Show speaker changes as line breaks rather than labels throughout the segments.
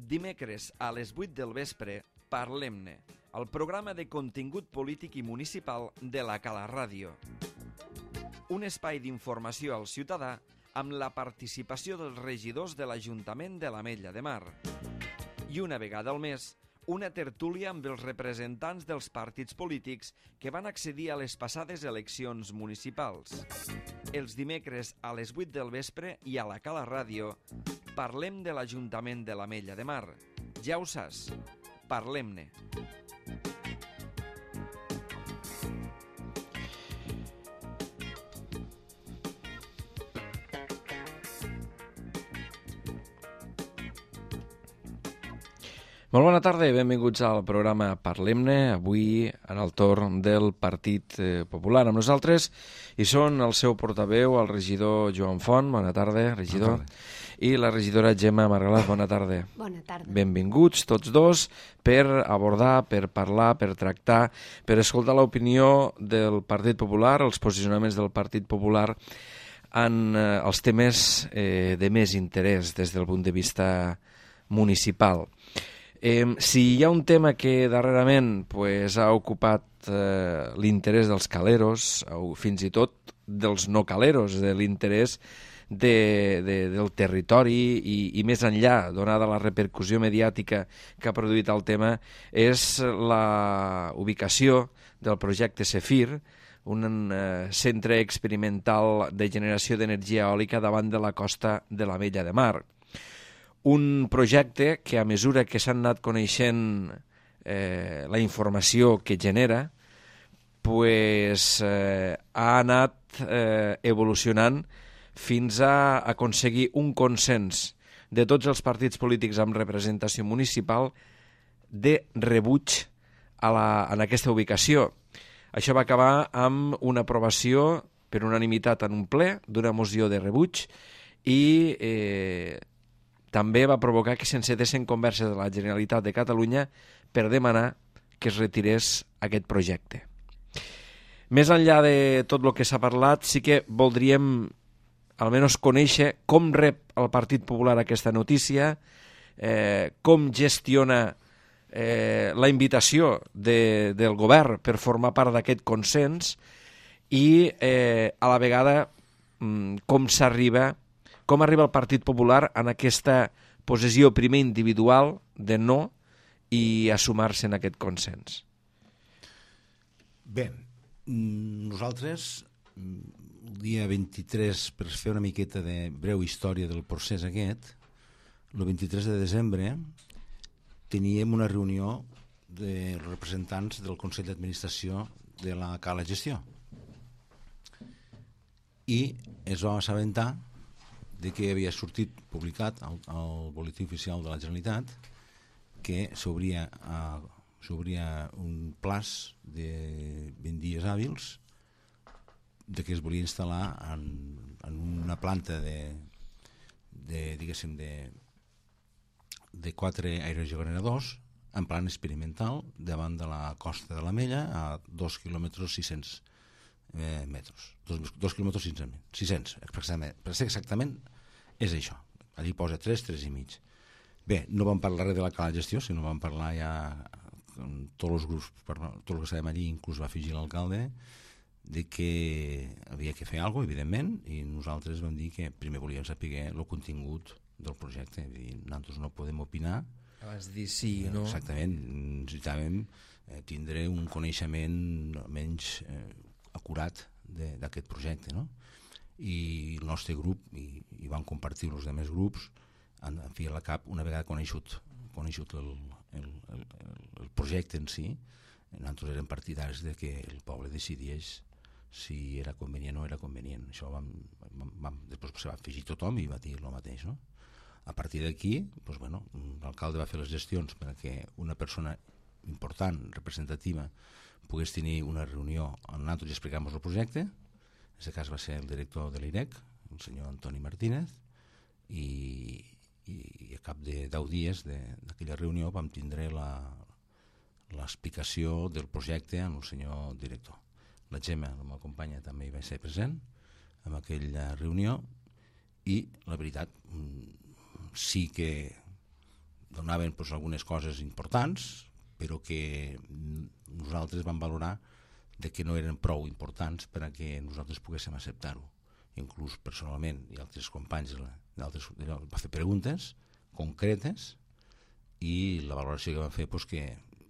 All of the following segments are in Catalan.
Dimecres a les 8 del vespre, Parlem-ne, el programa de contingut polític i municipal de la Cala Ràdio. Un espai d'informació al ciutadà amb la participació dels regidors de l'Ajuntament de l'Ametlla de Mar. I una vegada al mes, una tertúlia amb els representants dels partits polítics que van accedir a les passades eleccions municipals. Els dimecres a les 8 del vespre i a la Cala Ràdio parlem de l'Ajuntament de l'Ametlla de Mar. Ja ho saps, parlem-ne. Molt bona tarda i benvinguts al programa Parlem-ne, avui en el torn del Partit Popular. Amb nosaltres hi són el seu portaveu, el regidor Joan Font. Bona tarda, regidor. Bona tarda. I la regidora Gemma Margalaz. Bona tarda.
Bona tarda.
Benvinguts tots dos per abordar, per parlar, per tractar, per escoltar l'opinió del Partit Popular, els posicionaments del Partit Popular en els temes de més interès des del punt de vista municipal. Si hi ha un tema que darrerament ha ocupat l'interès dels caleros, o fins i tot dels no caleros, de l'interès del territori i més enllà, donada la repercussió mediàtica que ha produït el tema, és la ubicació del projecte Cefir, un centre experimental de generació d'energia eòlica davant de la costa de l'Ametlla de Mar. Un projecte que a mesura que s'han anat coneixent la informació que genera, ha anat evolucionant fins a aconseguir un consens de tots els partits polítics amb representació municipal de rebuig en aquesta ubicació. Això va acabar amb una aprovació per unanimitat en un ple d'una moció de rebuig i també va provocar que s'encetessin converses de la Generalitat de Catalunya per demanar que es retirés aquest projecte. Més enllà de tot el que s'ha parlat, sí que voldríem almenys conèixer com rep el Partit Popular aquesta notícia, com gestiona la invitació del govern per formar part d'aquest consens i a la vegada com arriba el Partit Popular en aquesta posició primer individual de no i a sumar-se en aquest consens.
Bé, nosaltres el dia 23, per fer una miqueta de breu història del procés aquest, el 23 de desembre teníem una reunió de representants del Consell d'Administració de la Cala Gestió i es va assabentar de que havia sortit publicat al Boletí Oficial de la Generalitat que s'obria un plaç de 20 dies hàbils de que es volia instal·lar en una planta de 4 aerogeneradors en plan experimental davant de la costa de l'Ametlla a 2 quilòmetres 600 metres. 2 quilòmetres 600, per ser exactament és això. Allí posa 3 i mig. Bé, no vam parlar res de la Cala Gestió, sinó vam parlar ja amb tots els grups, tot el que estàvem allí, inclús va afegir l'alcalde, de que havia que fer alguna cosa, evidentment, i nosaltres vam dir que primer volíem saber el contingut del projecte. Nosaltres no podem opinar.
Abans de dir sí o no.
Exactament, necessitàvem tindre un coneixement almenys acurat d'aquest projecte, no? I el nostre grup, i van compartir els altres grups, han fiat la cap una vegada conegut el projecte en si. Nosaltres érem partidaris de que el poble decidís si era convenient o no era convenient. Això després se va afegir tothom i va dir el mateix, no? A partir d'aquí, l'alcalde va fer les gestions perquè una persona important, representativa, pogués tenir una reunió on nosaltres explicàvem el projecte. En aquest cas va ser el director de l'IREC, el senyor Antoni Martínez, i a cap de 10 dies d'aquella reunió vam tindre l'explicació del projecte amb el senyor director. La Gemma, la meva companya, també hi va ser present en aquella reunió i la veritat sí que donaven doncs, algunes coses importants, però que nosaltres vam valorar de que no eren prou importants per a que nosaltres poguéssim acceptar-ho. Inclús personalment i altres companys va fer preguntes concretes i la valoració que van fer doncs, que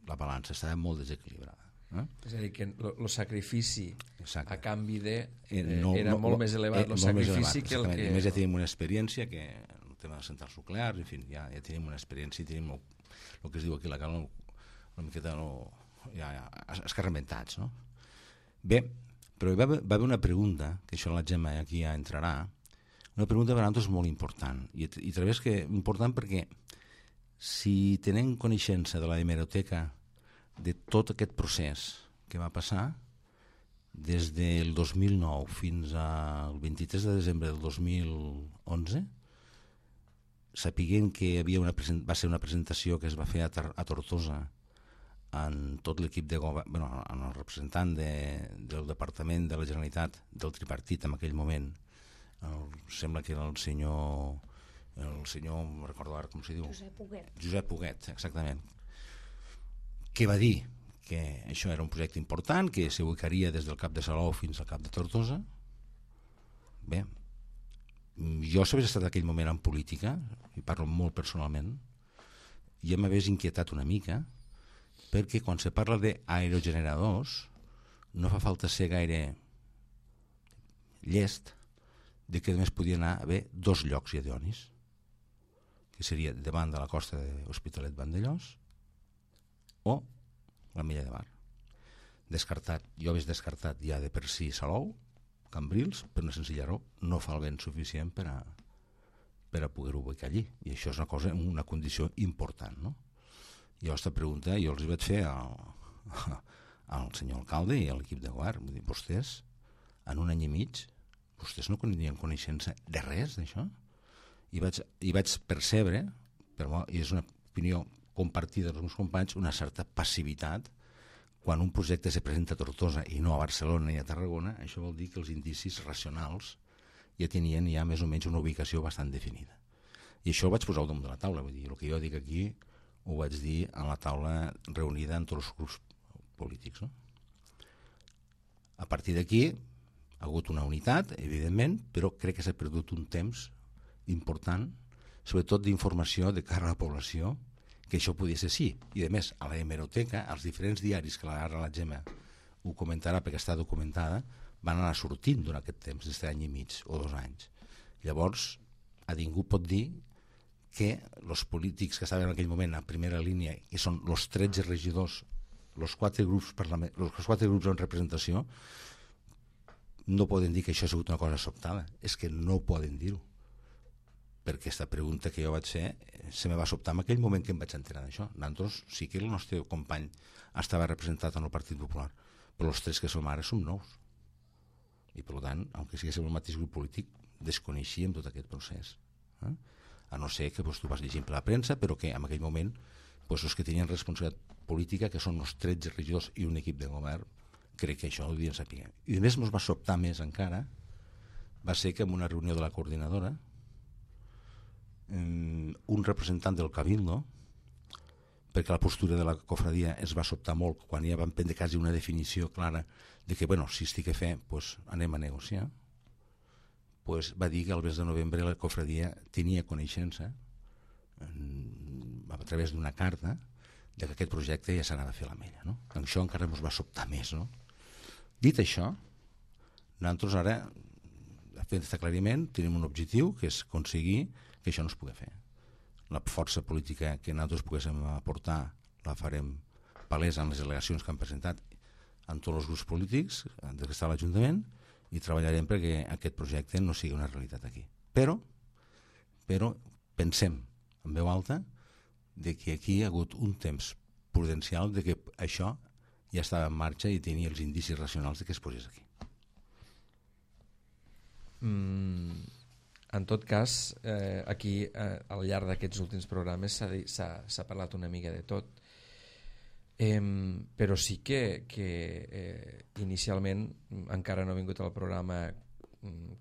la balança estava molt desequilibrada.
És a dir, que el sacrifici
Exacte.
a canvi de era molt més elevat el sacrifici que el que...
A més ja tenim una experiència que el tema de centrals nuclears, en fi, ja tenim una experiència i tenim el que es diu aquí la calma una miqueta ja escarmentats, no? Bé, però va haver una pregunta, que això la Gemma aquí ja entrarà, una pregunta per a nosaltres molt important, i través que important perquè si tenem coneixença de la hemeroteca de tot aquest procés que va passar des del 2009 fins al 23 de desembre del 2011, sapiguent que va ser una presentació que es va fer a Tortosa en tot l'equip de govern, en el representant del Departament de la Generalitat del tripartit en aquell moment, sembla que era el senyor no recordo ara com s'hi diu, Josep Huguet, exactament, que va dir que això era un projecte important, que s'ubicaria des del Cap de Salou fins al Cap de Tortosa. Bé, jo si hagués estat en aquell moment en política, i parlo molt personalment, ja m'hagués inquietat una mica, perquè quan se parla d'aerogeneradors no fa falta ser gaire llest de que només podien haver 2 llocs idionis, que seria davant de la costa de l'Hospitalet Vandellòs o la Mella de Mar. Descartat, jo hagués descartat ja de per si Salou, Cambrils, per una senzilla raó, no fa el vent suficient per a poder-ho ubicar allí, i això és una condició important, no? Jo aquesta pregunta jo els vaig fer al senyor alcalde i a l'equip de govern, vull dir, vostès en un any i mig vostès no tenien coneixença de res d'això, i vaig percebre, però és una opinió compartida dels meus companys, una certa passivitat quan un projecte se presenta a Tortosa i no a Barcelona ni a Tarragona. Això vol dir que els indicis racionals ja tenien ja més o menys una ubicació bastant definida, i això ho vaig posar al damunt de la taula. Vull dir, el que jo dic aquí ho vaig dir a la taula reunida amb tots els grups polítics, no? A partir d'aquí ha hagut una unitat, evidentment, però crec que s'ha perdut un temps important, sobretot d'informació de cara a la població, que això podia ser sí. I a més, a la hemeroteca, als diferents diaris, que ara la Gemma ho comentarà perquè està documentada, van anar sortint durant aquest temps, d'aquest any i mig o 2 anys. Llavors, a ningú pot dir que els polítics que estaven en aquell moment a primera línia, que són els 13 regidors, els 4 grups en representació, no poden dir que això ha sigut una cosa sobtada. És que no poden dir-ho, perquè aquesta pregunta que jo vaig fer se me va sobtar en aquell moment que em vaig enterar d'això. Nosaltres sí que el nostre company estava representat en el Partit Popular, però els 3 que som ara som nous, i per tant, aunque siguéssim el mateix grup polític, desconeixíem tot aquest procés, a no ser que tu vas llegint per la premsa, però que en aquell moment els que tenien responsabilitat política, que són els 13 regidors i un equip de govern, crec que això ho devien saber. I a més ens va sobtar més encara, va ser que en una reunió de la coordinadora un representant del Cabildo, perquè la postura de la cofradia es va sobtar molt quan ja van prendre quasi una definició clara de que, bueno, si estic a fer, anem a negociar, va dir que al mes de novembre la cofradia tenia coneixença a través d'una carta de que aquest projecte ja s'anava a fer a la Mella, no? Això encara ens va sobtar més, no? Dit això, nosaltres ara, fent aquest aclariment, tenim un objectiu, que és aconseguir que això no es pugui fer. La força política que nosaltres poguéssim aportar la farem palesa en les delegacions que han presentat en tots els grups polítics des que està a l'Ajuntament, i treballarem perquè aquest projecte no sigui una realitat aquí. Però pensem en veu alta de que aquí hi ha hagut un temps prudencial de que això ja estava en marxa i tenia els indicis racionals de que es posés aquí.
En tot cas, aquí al llarg d'aquests últims programes s'ha parlat una mica de tot, però sí que inicialment encara no ha vingut al programa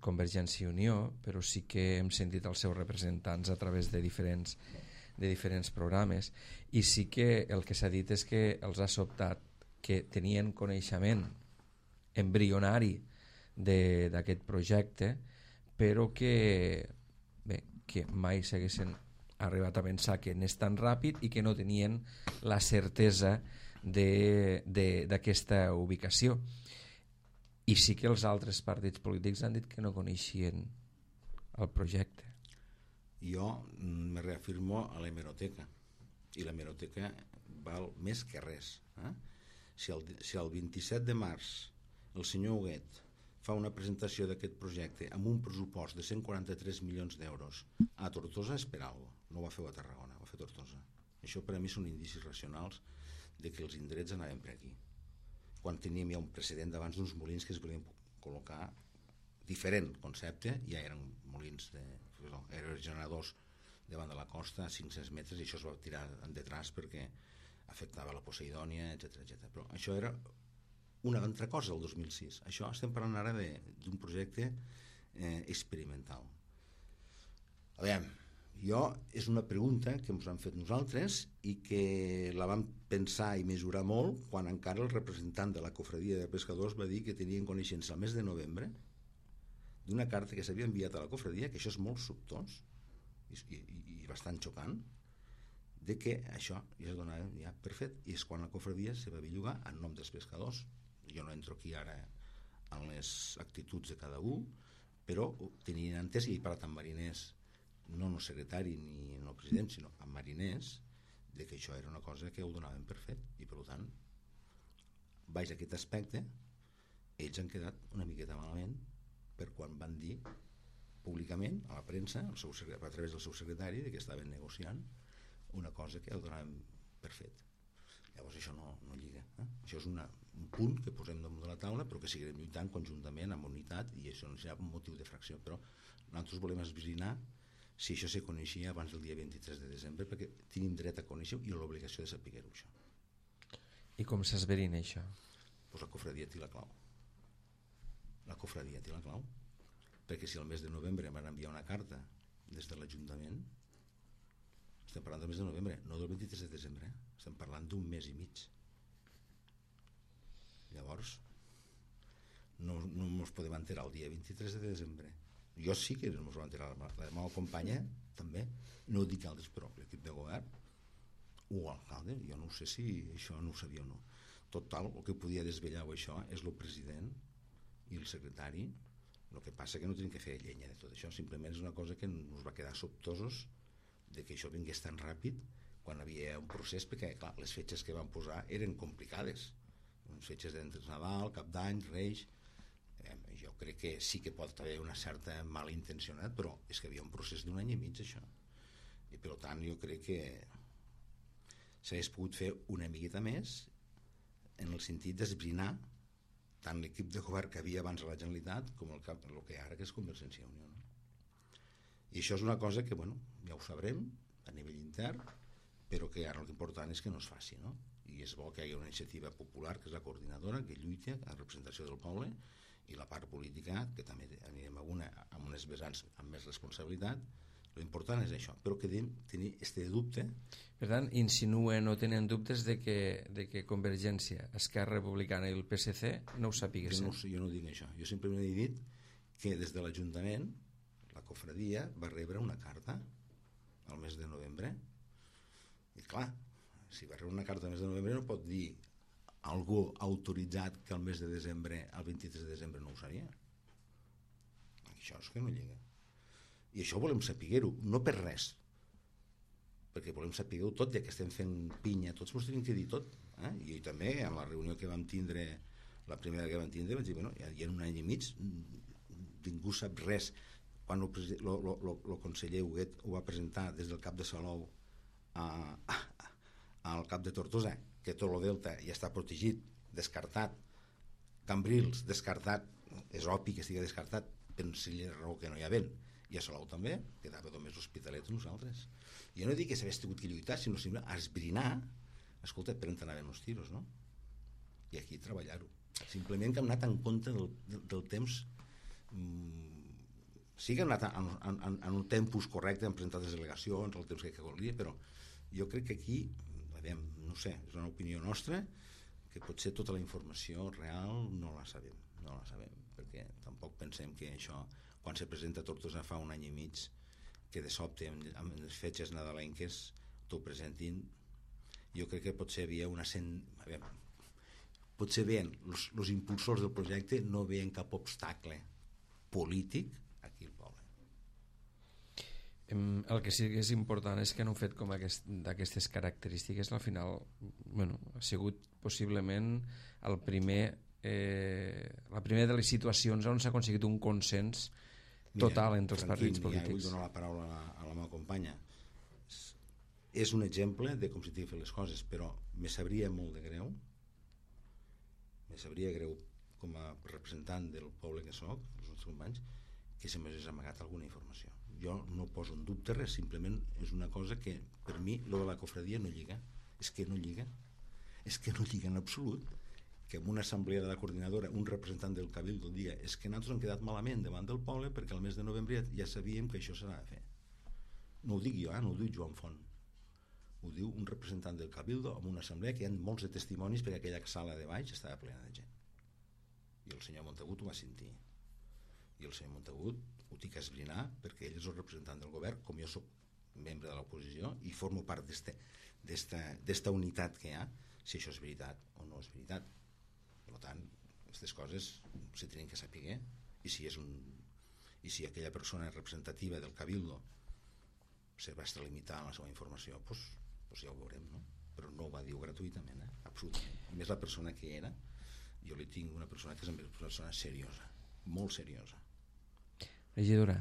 Convergència i Unió, però sí que hem sentit els seus representants a través de diferents de diferents programes, i sí que el que s'ha dit és que els ha sobtat que tenien coneixement embrionari d'aquest projecte, però que, bé, que mai s'haguessin arribat a pensar que anés tan ràpid i que no tenien la certesa d'aquesta ubicació. I sí que els altres partits polítics han dit que no coneixien el projecte.
Jo me reafirmo a l'hemeroteca, i l'hemeroteca val més que res. Si el 27 de març el senyor Huguet fa una presentació d'aquest projecte amb un pressupost de 143 milions d'euros a Tortosa, és per alguna cosa. No ho va fer a Tarragona, ho va fer a Tortosa. Això per a mi són indicis racionals de que els indrets anaven per aquí, quan teníem ja un precedent d'abans d'uns molins que es volien col·locar diferent concepte, ja eren molins aerogeneradors davant de la costa a 500 metres, i això es va tirar detrás perquè afectava la Poseidònia, etc. Però això era una altra cosa el 2006. Això estem parlant ara d'un projecte experimental. Aviam, és una pregunta que ens han fet nosaltres i que la vam pensar i mesurar molt quan encara el representant de la cofradia de pescadors va dir que tenien coneixença al mes de novembre d'una carta que s'havia enviat a la cofradia, que això és molt sobtós i bastant xocant, de que això ja es donava ja per fet, i és quan la cofradia se va bellugar en nom dels pescadors. Jo no entro aquí ara en les actituds de cada un, però tenien entès, i he parlat amb mariners, no el secretari ni el president, sinó amb mariners, de que això era una cosa que ho donaven per fet, i per tant, baix aquest aspecte, ells han quedat una miqueta malament per quan van dir públicament a la premsa, a través del seu secretari, que estaven negociant una cosa que ho donaven per fet. Llavors això no lliga. Això és un punt que posem damunt de la taula, però que seguirem lluitant conjuntament amb unitat, i això no serà un motiu de fracció. Però nosaltres volem esbrinar si això se coneixia abans del dia 23 de desembre, perquè tenim dret a conèixer-ho i l'obligació de saber-ho, això.
I com s'esverina això?
Pues la cofradia té la clau. La cofradia té la clau. Perquè si el mes de novembre van enviar una carta des de l'Ajuntament, estem parlant del mes de novembre, no del 23 de desembre, estem parlant d'un mes i mig. Llavors, no ens podem enterar el dia 23 de desembre. Jo sí que no ens vam enterar, la meva companya també, no ho dic altres, però l'equip de govern o l'alcalde, jo no sé si això no ho sabia o no. Total, el que podia desvetllar això és el president i el secretari. El que passa que no tenim que fer llenya de tot això, simplement és una cosa que ens va quedar sobtosos de que això vingués tan ràpid quan havia un procés, perquè clar, les fetges que van posar eren complicades, les fetges d'entre Nadal, Cap d'Any, Reis. Jo crec que sí que pot haver una certa mala intencionat, però és que havia un procés d'un any i mig, això, i per tant jo crec que s'hagués pogut fer una miqueta més en el sentit d'esbrinar tant l'equip de govern que havia abans a la Generalitat com el que ara, que és Convergència i Unió, no? I això és una cosa que, bueno, ja ho sabrem a nivell intern, però que ara l'important és que no es faci, no? I és bo que hi hagi una iniciativa popular, que és la coordinadora, que lluita a representació del poble, i la part política, que també anirem amb unes vessants amb més responsabilitat. L'important és això, però que tenir este dubte.
Per tant, insinuen o tenen dubtes de que Convergència, Esquerra Republicana i el PSC no ho sapiguessin.
Jo no dic això, jo simplement he dit que des de l'Ajuntament la cofradia va rebre una carta al mes de novembre, i clar, si va rebre una carta al mes de novembre no pot dir algú autoritzat que el mes de desembre, el 23 de desembre no ho sabia. Això és que no lliga. I això volem saber-ho, no per res, perquè volem saber-ho tot, ja que estem fent pinya, tots ens tenim que dir tot. I també, en la reunió que vam tindre, la primera que vam tindre, vaig dir, bueno, ja en un any i mig ningú sap res. Quan el conseller Huguet ho va presentar des del cap de Salou al cap de Tortosa, que tot el delta ja està protegit, descartat, Cambrils descartat, és obvi que estigui descartat per una raó que no hi ha vent, i a Salou també, quedava només l'Hospitalet a nosaltres. Jo no dic que s'hagués tingut que lluitar, sinó simplement esbrinar, escolta, per on anaven els tiros, no? I aquí treballar-ho. Simplement que hem anat en compte del temps sí que han anat en un tempus correcte, han presentat les delegacions, el temps que volia, però jo crec que aquí, no sé, és una opinió nostra, que potser tota la informació real no la sabem, perquè tampoc pensem que això, quan se presenta a Tortosa fa un any i mig, que de sobte amb les fetges nadalenques t'ho presentin, jo crec que potser havia potser veien els impulsors del projecte no veien cap obstacle polític aquí al poble.
El que sí que és important és que en un fet com d'aquestes característiques al final ha sigut possiblement la primera de les situacions on s'ha aconseguit un consens total entre els partits polítics.
Vull donar la paraula a la meva companya. És un exemple de com s'hi han fet les coses, però me sabria molt de greu, com a representant del poble que soc, els nostres companys, que se m'hagués amagat alguna informació. Jo no poso en dubte res, simplement és una cosa que per mi lo de la cofradia no lliga. És que no lliga en absolut, que en una assemblea de la coordinadora un representant del Cabildo dia és que nosaltres hem quedat malament davant del poble perquè al mes de novembre ja sabíem que això s'ha de fer. No ho dic jo, no ho diu Joan Font, ho diu un representant del Cabildo en una assemblea que hi ha molts de testimonis perquè aquella sala de baix estava plena de gent, i el senyor Montagut ho va sentir, i el senyor Montagut ho tinc que esbrinar perquè ell és el representant del govern, com jo soc membre de l'oposició i formo part d'esta unitat que hi ha, si això és veritat o no és veritat. Per tant, aquestes coses se tenen que saber, i si aquella persona representativa del Cabildo se va estar limitant la seva informació, doncs ja ho veurem, no? Però no ho va dir gratuïtament, absolutament. A més, la persona que era, jo li tinc una persona que és una persona seriosa, molt seriosa.
Regidora,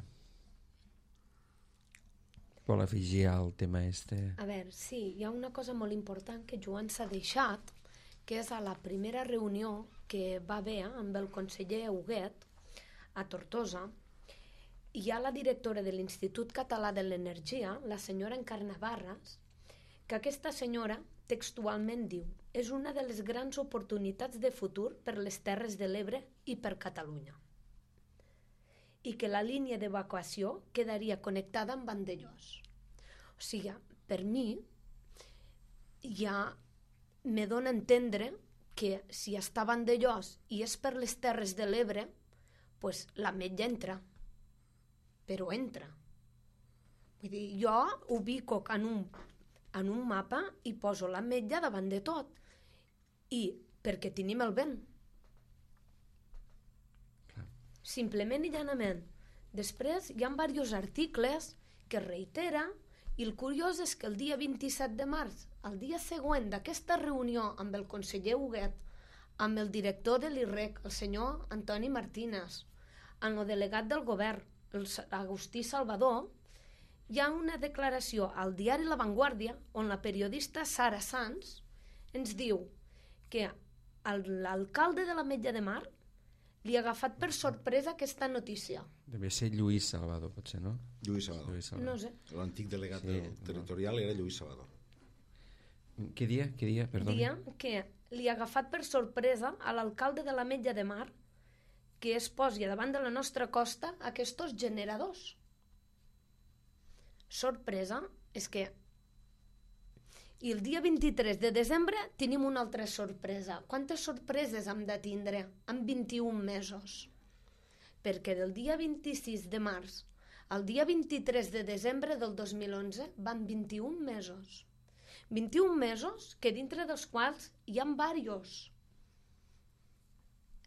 vol afegir al tema este?
A veure, sí, hi ha una cosa molt important que Joan s'ha deixat, que és a la primera reunió que va haver amb el conseller Huguet a Tortosa. Hi ha la directora de l'Institut Català de l'Energia, la senyora Encarna Barras, que aquesta senyora textualment diu: és una de les grans oportunitats de futur per les Terres de l'Ebre i per Catalunya, i que la línia d'evacuació quedaria connectada amb Vandellòs. O sigui, per mi ja me dona a entendre que si està a Vandellòs i és per les Terres de l'Ebre, pues l'Ametlla entra, però entra. Vull dir, jo ubico en un mapa i poso l'Ametlla davant de tot, i perquè tenim el vent. Simplement i llanament. Després hi ha diversos articles que reitera, i el curiós és que el dia 27 de març, el dia següent d'aquesta reunió amb el conseller Huguet, amb el director de l'IREC, el senyor Antoni Martínez, amb el delegat del govern, el Agustí Salvador, hi ha una declaració al diari La Vanguardia on la periodista Sara Sanz ens diu que l'alcalde de l'Ametlla de Mar li ha agafat per sorpresa aquesta notícia.
Deve ser Lluís Salvador, potser, no?
Lluís Salvador.
No sé.
L'antic delegat territorial era Lluís Salvador.
Què dia? Perdoni.
Dia que li ha agafat per sorpresa a l'alcalde de l'Ametlla de Mar que es posi davant de la nostra costa aquests generadors. Sorpresa és que... I el dia 23 de desembre tenim una altra sorpresa. Quantes sorpreses hem de tindre en 21 mesos? Perquè del dia 26 de març al dia 23 de desembre del 2011 van 21 mesos. 21 mesos que dintre dels quals hi ha diversos.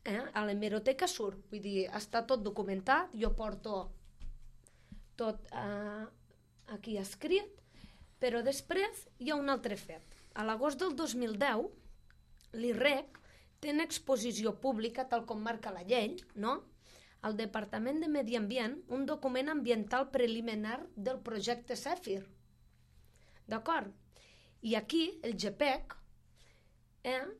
A l'hemeroteca surt, vull dir, està tot documentat, jo porto tot aquí escrit, però després hi ha un altre fet. A l'agost del 2010, l'IREC té en exposició pública, tal com marca la llei, no? Al Departament de Medi Ambient, un document ambiental preliminar del projecte Zèfir. D'acord? I aquí, el GPEC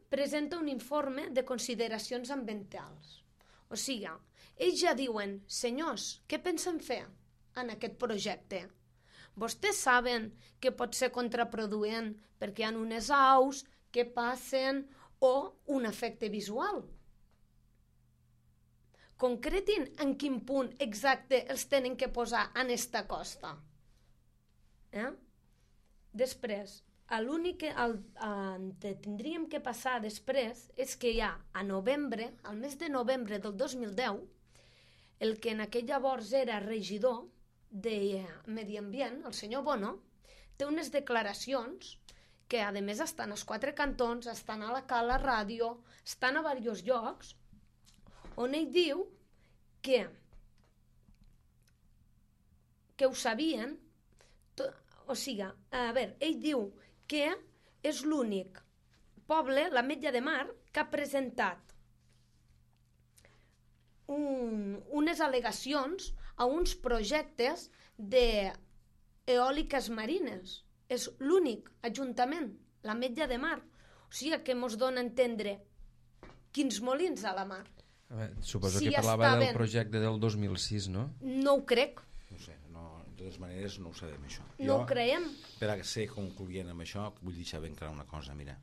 presenta un informe de consideracions ambientals. O sigui, ells ja diuen, senyors, què pensen fer en aquest projecte? Vostès saben que pot ser contraproduent perquè hi ha unes aus que passen o un efecte visual. concretin en quin punt exacte els tenen que posar en esta costa. Després, l'únic que tindríem que passar després és que ja a novembre, al mes de novembre del 2010, el que en aquell llavors era regidor de Medi Ambient, el senyor Bono, té unes declaracions que a més estan als 4 cantons, estan a la Cala Ràdio, estan a diversos llocs, on ell diu que ho sabien, ell diu que és l'únic poble, l'Ametlla de Mar, que ha presentat unes al·legacions a uns projectes d'eòliques marines. És l'únic ajuntament, l'Ametlla de Mar. O sigui que ens dona a entendre quins molins a la mar.
Suposo que parlava del projecte del 2006, no?
No ho crec.
No sé, de totes maneres no ho sabem, això.
No ho creiem.
Per a ser concloent amb això, vull deixar ben clar una cosa, mira.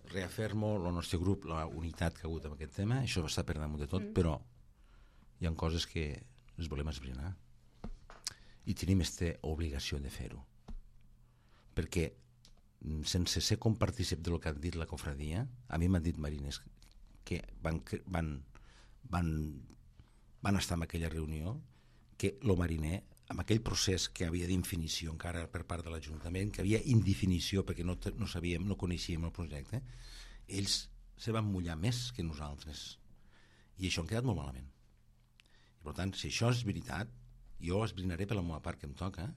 Reafirmo el nostre grup, la unitat que ha hagut amb aquest tema, això està per damunt de tot, però hi ha coses que les volem esbrinar i tenim aquesta obligació de fer-ho, perquè sense ser compartícip del que han dit la cofradia, a mi m'han dit marines que van estar en aquella reunió, que el mariner, amb aquell procés que havia d'indefinició encara per part de l'Ajuntament, que havia indefinició perquè no coneixíem el projecte, ells se van mullar més que nosaltres, i això han quedat molt malament. I per tant, si això és veritat, jo esbrinaré per la meva part que em toca,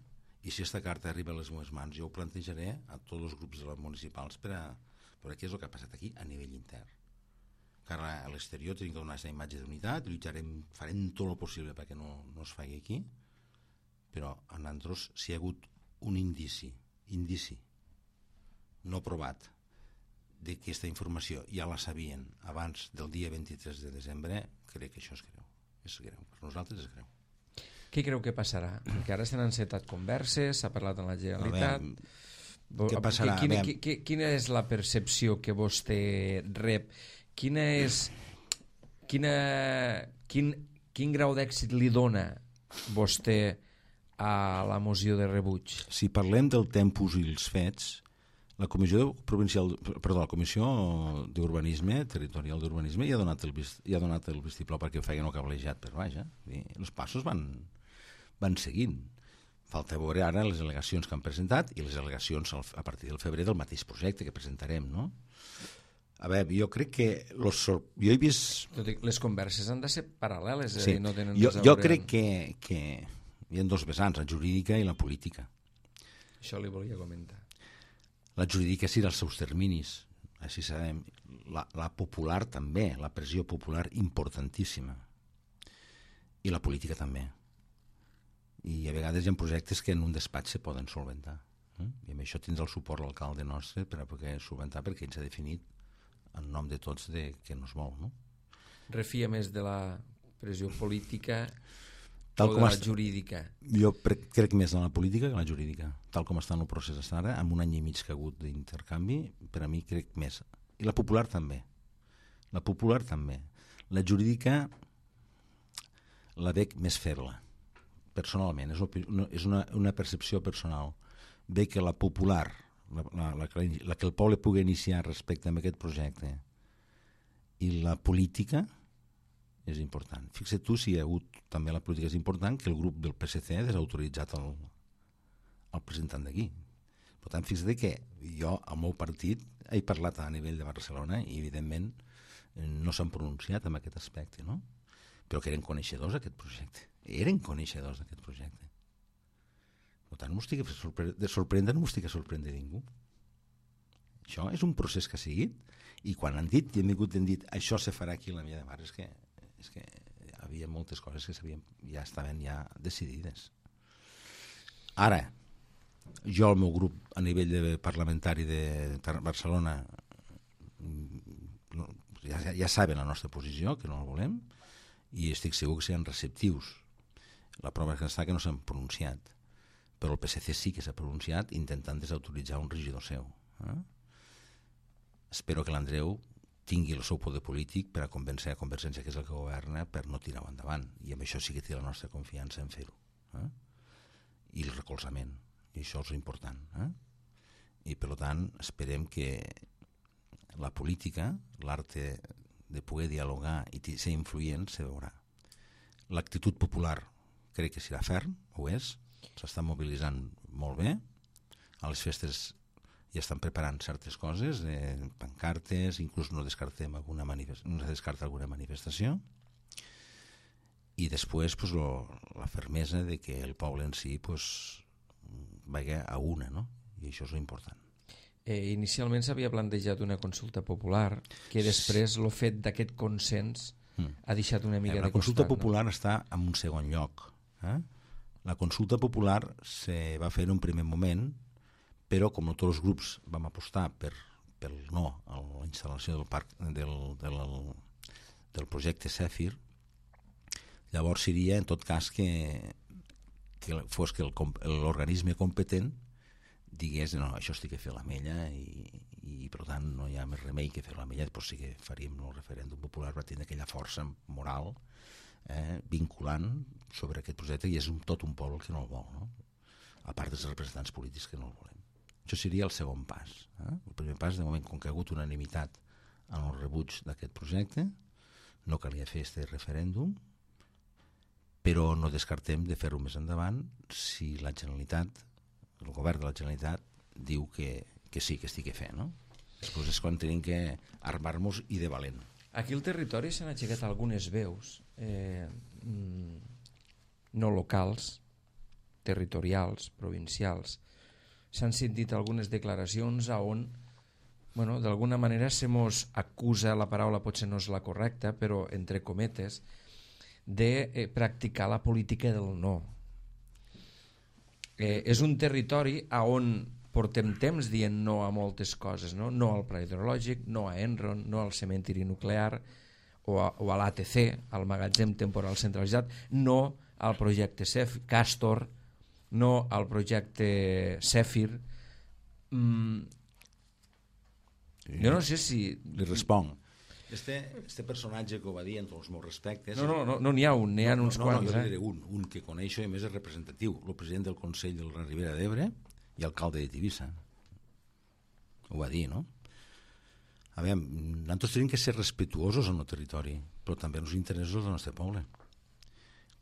i si aquesta carta arriba a les meves mans, jo ho plantejaré a tots els grups municipals per a veure què és el que ha passat aquí a nivell intern. Car a l'exterior tenim que donar aquesta imatge d'unitat, farem tot el possible perquè no es faci aquí, però a nosaltres, si hi ha hagut un indici no provat de que aquesta informació ja la sabien abans del dia 23 de desembre, crec que això és greu. És greu, per nosaltres és greu.
Què creu que passarà? Perquè ara s'han encetat converses, s'ha parlat amb la Generalitat.
Què passarà?
Quina és la percepció que vostè rep? Quin grau d'èxit li dona vostè a la moció de rebuig?
Si parlem del tempus i els fets, la Comissió d'Urbanisme, Territorial d'Urbanisme, ja ha donat el vistiplau perquè ho feien el cablejat per baix. Els passos van seguint. Falta veure ara les al·legacions que han presentat i les al·legacions a partir del febrer del mateix projecte que presentarem, no? A veure, jo crec que jo he vist...
Les converses han de ser paral·leles,
sí.
No tenen
jo crec que hi ha dos vessants, la jurídica i la política.
Això li volia comentar.
La jurídica sí dels seus terminis, així sabem. La popular també, la pressió popular importantíssima. I la política també. I a vegades hi ha projectes que en un despatx se poden solventar. I amb això tindrà el suport l'alcalde nostre per a poder solventar, perquè ell s'ha definit en nom de tots que no es vol. No?
Refia més de la pressió política
tal
o de la jurídica?
Jo crec més en la política que en la jurídica. Tal com està en el procés ara, amb un any i mig que ha hagut d'intercanvi, per a mi crec més. I la popular també. La popular també. La jurídica la veig més feble, personalment. És una percepció personal. Veig que la popular, la que el poble pugui iniciar respecte a aquest projecte, i la política és important. Fixa't tu si hi ha hagut, també la política és important, que el grup del PSC ha desautoritzat el presentant d'aquí. Per tant, fixa't que jo, al meu partit, he parlat a nivell de Barcelona i, evidentment, no s'han pronunciat en aquest aspecte, no? Però que eren coneixedors d'aquest projecte. Eren coneixedors d'aquest projecte. Per tant, no m'estic de sorprendre, no m'estic a sorprendre ningú. Això és un procés que ha seguit, i quan han dit, i han vingut i han dit això se farà aquí a la Milla de Mar, és que hi havia moltes coses que ja estaven decidides. Ara, jo, el meu grup, a nivell parlamentari de Barcelona, ja saben la nostra posició, que no la volem, i estic segur que seran receptius. La prova que està que no s'han pronunciat, però el PSC sí que s'ha pronunciat intentant desautoritzar un regidor seu. Espero que l'Andreu tingui el seu poder polític per a convèncer a Convergència, que és el que governa, per no tirar-ho endavant. I amb això sí que té la nostra confiança en fer-ho. I el recolzament. I això és important. I per tant esperem que la política, l'art de poder dialogar i ser influent, se veurà. L'actitud popular crec que serà ferm, ho és, s'està mobilitzant molt bé, a les festes ja estan preparant certes coses, pancartes, inclús no descarta alguna manifestació, i després pues, la fermesa de que el poble en si pues, vagi a una, no? I això és important.
Inicialment s'havia plantejat una consulta popular, que després el fet d'aquest consens ha deixat una mica de costat.
La consulta popular està en un segon lloc. La consulta popular se va fer en un primer moment, però com tots els grups vam apostar pel no a la instal·lació del projecte Zèfir, llavors seria en tot cas que fos que l'organisme competent digués no, això estic a fer l'Ametlla i per tant no hi ha més remei que fer l'Ametlla, però sí que faríem el referèndum popular, va tenir aquella força moral vinculant sobre aquest projecte i és tot un poble que no el vol, no? A part dels representants polítics que no el volem. Això seria el segon pas. El primer pas, de moment, com que ha hagut unanimitat en el rebuig d'aquest projecte, no calia fer aquest referèndum, però no descartem de fer-ho més endavant si la Generalitat, el govern de la Generalitat, diu que sí, que estigui fent, no? Després és quan tenim que armar-nos i de valent.
Aquí al territori s'han aixecat algunes veus no locals, territorials, provincials. S'han sentit algunes declaracions on, bueno, d'alguna manera se mos acusa, la paraula potser no és la correcta, però entre cometes, de practicar la política del no. És un territori on portem temps dient no a moltes coses, no al pla hidrològic, no a Enron, no al cementiri nuclear o a l'ATC, al magatzem temporal centralitzat, no al projecte Castor, no al projecte Zèfir. Jo no sé si...
Li responc. Este personatge que ho va dir en tots els meus respectes...
No n'hi ha un, n'hi ha uns quants.
Jo diré un que coneixo i a més és representatiu, el president del Consell de la Ribera d'Ebre i alcalde de Tivissa. Ho va dir, no? A veure, nosaltres tenim que ser respetuosos en el territori, però també en els interessos del nostre poble.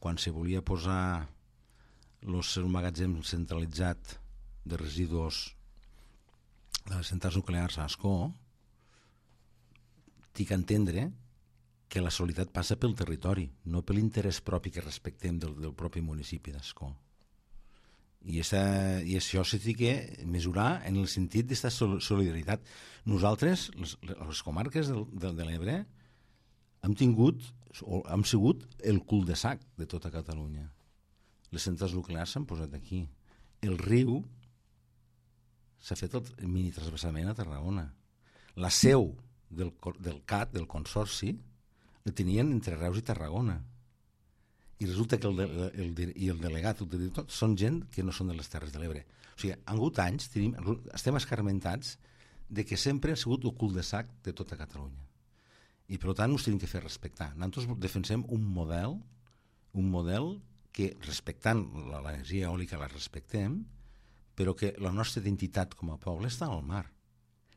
Quan se volia posar el magatzem centralitzat de residus de les centrals nuclears a Ascó, tinc a entendre que la solidaritat passa pel territori, no per l'interès propi que respectem del propi municipi d'Ascó. I això s'ha de mesurar en el sentit d'aquesta solidaritat. Nosaltres, les comarques de l'Ebre, hem sigut el cul-de-sac de tota Catalunya. Les centrals nuclears s'han posat aquí. El riu s'ha fet el mini-transvasament a Tarragona. La seu del CAT, del Consorci, el tenien entre Reus i Tarragona. I resulta que el delegat, el director, són gent que no són de les Terres de l'Ebre. O sigui, han hagut anys, estem escarmentats de que sempre ha sigut el cul-de-sac de tota Catalunya. I per tant ens tenim que fer respectar. Nosaltres defensem un model que, respectant l'energia eòlica, la respectem, però que la nostra identitat com a poble està al mar.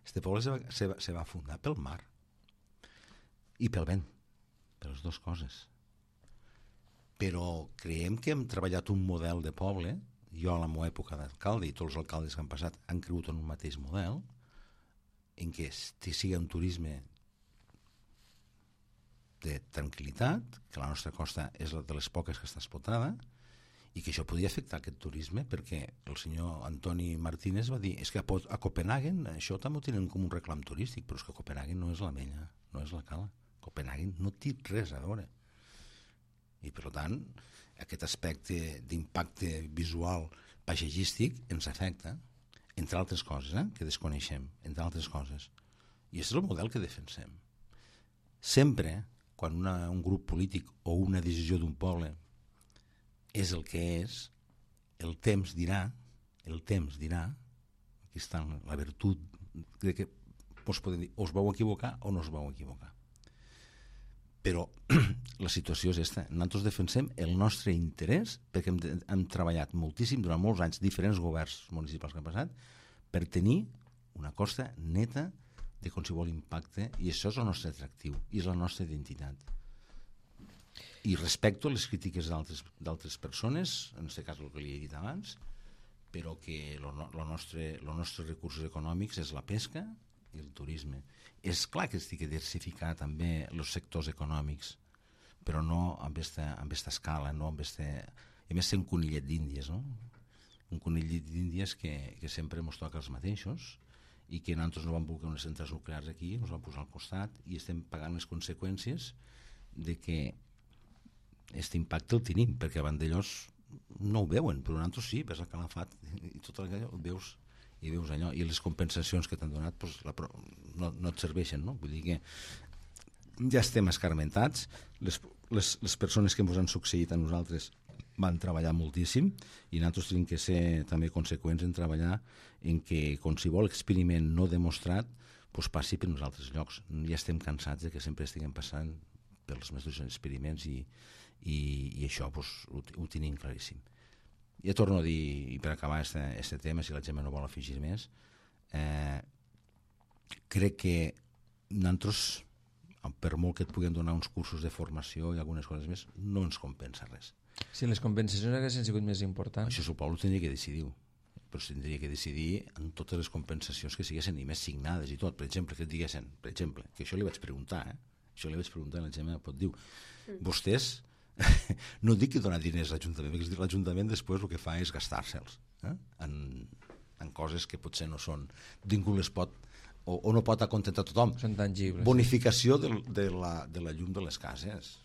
Este poble se va fundar pel mar i pel vent, per les dues coses. Però creiem que hem treballat un model de poble, jo a la meva època d'alcalde i tots els alcaldes que han passat han cregut en un mateix model, en què sigui un turisme de tranquil·litat, que la nostra costa és de les poques que està explotada, i que això podia afectar aquest turisme perquè el senyor Antoni Martínez va dir és que a Copenhagen això també ho tenen com un reclam turístic, però és que Copenhagen no és l'Ametlla, no és la Cala. Copenhagen no té res a veure. I per tant, aquest aspecte d'impacte visual paisatgístic ens afecta, entre altres coses, que desconeixem, entre altres coses. I és el model que defensem. Sempre, quan un grup polític o una decisió d'un poble és el que és, el temps dirà, aquí està la virtut de que us podem dir, us vau equivocar o no us vau equivocar. Però la situació és aquesta. Nosaltres defensem el nostre interès perquè hem treballat moltíssim durant molts anys, diferents governs municipals que han passat, per tenir una costa neta de qualsevol impacte, i això és el nostre atractiu i és la nostra identitat. I respecto les crítiques d'altres persones, en aquest cas el que li he dit abans, però que els nostres recursos econòmics és la pesca i el turisme. És clar que estic a diversificar també els sectors econòmics, però no amb esta escala, no amb este... A més, ser un conillet d'Índies, no? Un conillet d'Índies que sempre ens toca els mateixos, i que nosaltres no vam voler unes centrals nuclears aquí, ens vam posar al costat i estem pagant les conseqüències de que aquest impacte el tenim, perquè abans d'ells no ho veuen, però nosaltres sí, ves el calafat i tot allò ho veus, i veus allò, i les compensacions que t'han donat doncs, no et serveixen, no? Vull dir que ja estem escarmentats, les persones que ens han succeït a nosaltres van treballar moltíssim i nosaltres tenim que ser també conseqüents en treballar en que qualsevol experiment no demostrat doncs, passi per uns altres llocs. Ja estem cansats de que sempre estiguem passant pels nostres experiments i això doncs, ho tenim claríssim. Ja torno a dir, i per acabar este tema, si la Gemma no vol afegir més, crec que nosaltres, per molt que et puguem donar uns cursos de formació i algunes coses més, no ens compensa res.
Si les compensacions haguessin sigut més importants...
Això suposo que tindria que decidir-ho, però tindria que decidir en totes les compensacions que siguessin i més signades i tot. Per exemple, que et diguessin, per exemple, que això li vaig preguntar, això li vaig preguntar a la Gemma, pot dir, vostès no dic que donar diners a l'Ajuntament, perquè l'Ajuntament després el que fa és gastar-se'ls en coses que potser no són, ningú les pot o no pot acontentar tothom.
Són tangibles.
Bonificació de la llum de les cases.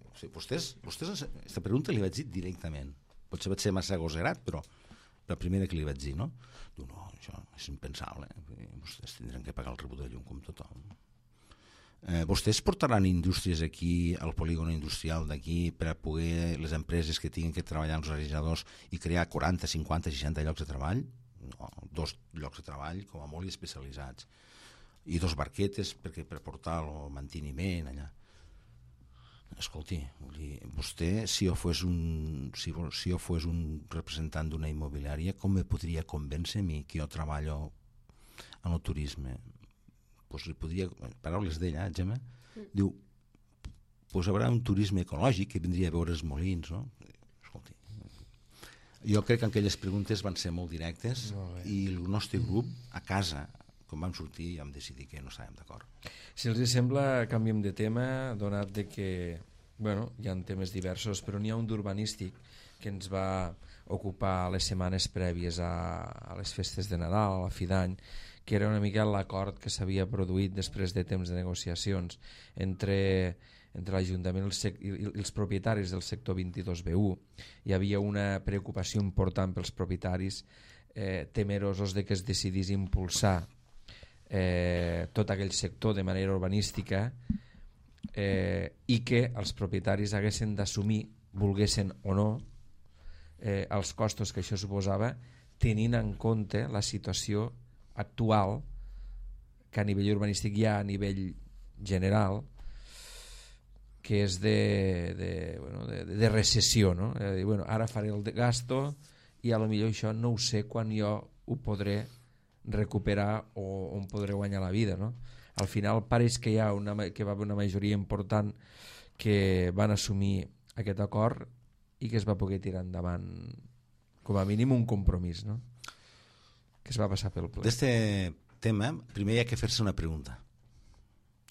O sigui, vostès aquesta pregunta li vaig dir directament, potser vaig ser massa agosarat, però la primera que li vaig dir, no? Diu, no, això és impensable, vostès tindran que pagar el rebut de llum com tothom. Vostès portaran indústries aquí, al polígon industrial d'aquí, per a poder les empreses que tinguin que treballar els realitzadors i crear 40, 50, 60 llocs de treball? No, 2 llocs de treball com a molt especialitzats i 2 barquetes per portar el manteniment allà. Escolti, vostè, si jo fos un representant d'una immobiliària, com me podria convèncer a mi que jo treballo en el turisme? Pues li podria, paraules d'ella, Gemma, diu, pues haurà un turisme ecològic que vindria a veure els molins, no? Escolti, jo crec que aquelles preguntes van ser molt directes i el nostre grup, a casa, quan vam sortir, ja vam decidir que no estàvem d'acord.
Si els sembla, canviem de tema, donat de que, bueno, hi ha temes diversos, però n'hi ha un d'urbanístic que ens va ocupar les setmanes prèvies a les festes de Nadal, a la fi d'any, que era una mica l'acord que s'havia produït després de temps de negociacions entre l'Ajuntament i els propietaris del sector 22B1. Hi havia una preocupació important pels propietaris temerosos de que es decidís impulsar tot aquell sector de manera urbanística i que els propietaris haguessin d'assumir, volguessin o no, els costos que això suposava, tenint en compte la situació actual que a nivell urbanístic hi ha a nivell general, que és de recessió, no? Bueno, ara faré el gasto i a lo millor això no ho sé quan jo ho podré recuperar o on podré guanyar la vida, no? Al final pareix que va haver una majoria important que van assumir aquest acord i que es va poder tirar endavant com a mínim un compromís, no? Que es va passar pel ple.
D'este tema, primer hi ha que fer-se una pregunta,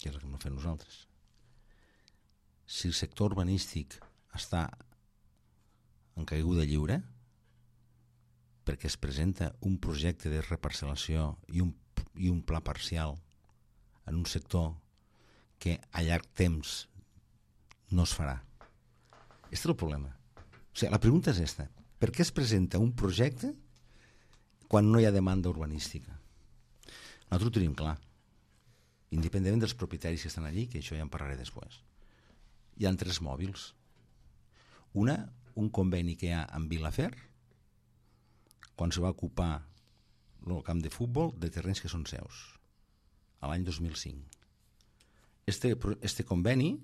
que és la que hem de fer nosaltres. Si el sector urbanístic està en caiguda lliure perquè es presenta un projecte de reparcel·lació i un pla parcial en un sector que a llarg temps no es farà. Aquest és el problema. O sigui, la pregunta és esta. Per què es presenta un projecte quan no hi ha demanda urbanística? Nosaltres ho tenim clar. Independentment dels propietaris que estan allí, que això ja en parlaré després. Hi ha 3 mòbils. Un conveni que hi ha amb Vilafer, quan se va ocupar el camp de futbol de terrenys que són seus. a l'any 2005. Este conveni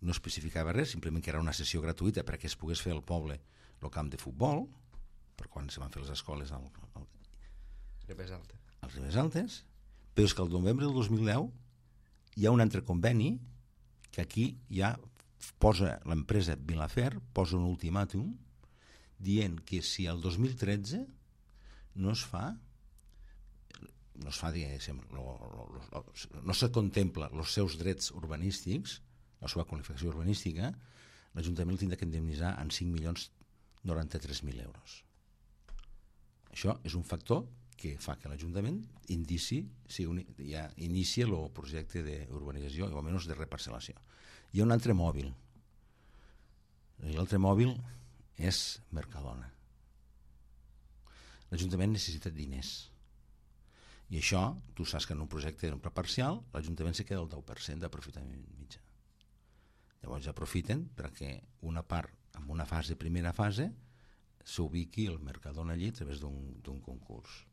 no especificava res, simplement que era una sessió gratuïta perquè es pogués fer al poble el camp de futbol, per quan se van fer les escoles als Ribes Altes, però és que el novembre del 2010 hi ha un altre conveni que aquí ja posa l'empresa Vilafer, posa un ultimàtum dient que si el 2013 no es fa, diguéssim, no se contempla els seus drets urbanístics, la seva qualificació urbanística, l'Ajuntament el tindrà que indemnitzar en 5.093.000 euros. Això és un factor que fa que l'Ajuntament inici el projecte d'urbanització, o almenys de reparcel·lació. Hi ha un altre mòbil. L'altre mòbil és Mercadona. L'Ajuntament necessita diners. I això, tu saps que en un projecte en parcial, l'Ajuntament se queda el 10% d'aprofitament mitjà. Llavors aprofiten perquè una part, en una primera fase, s'ubiqui el Mercadona allí a través d'un concurs.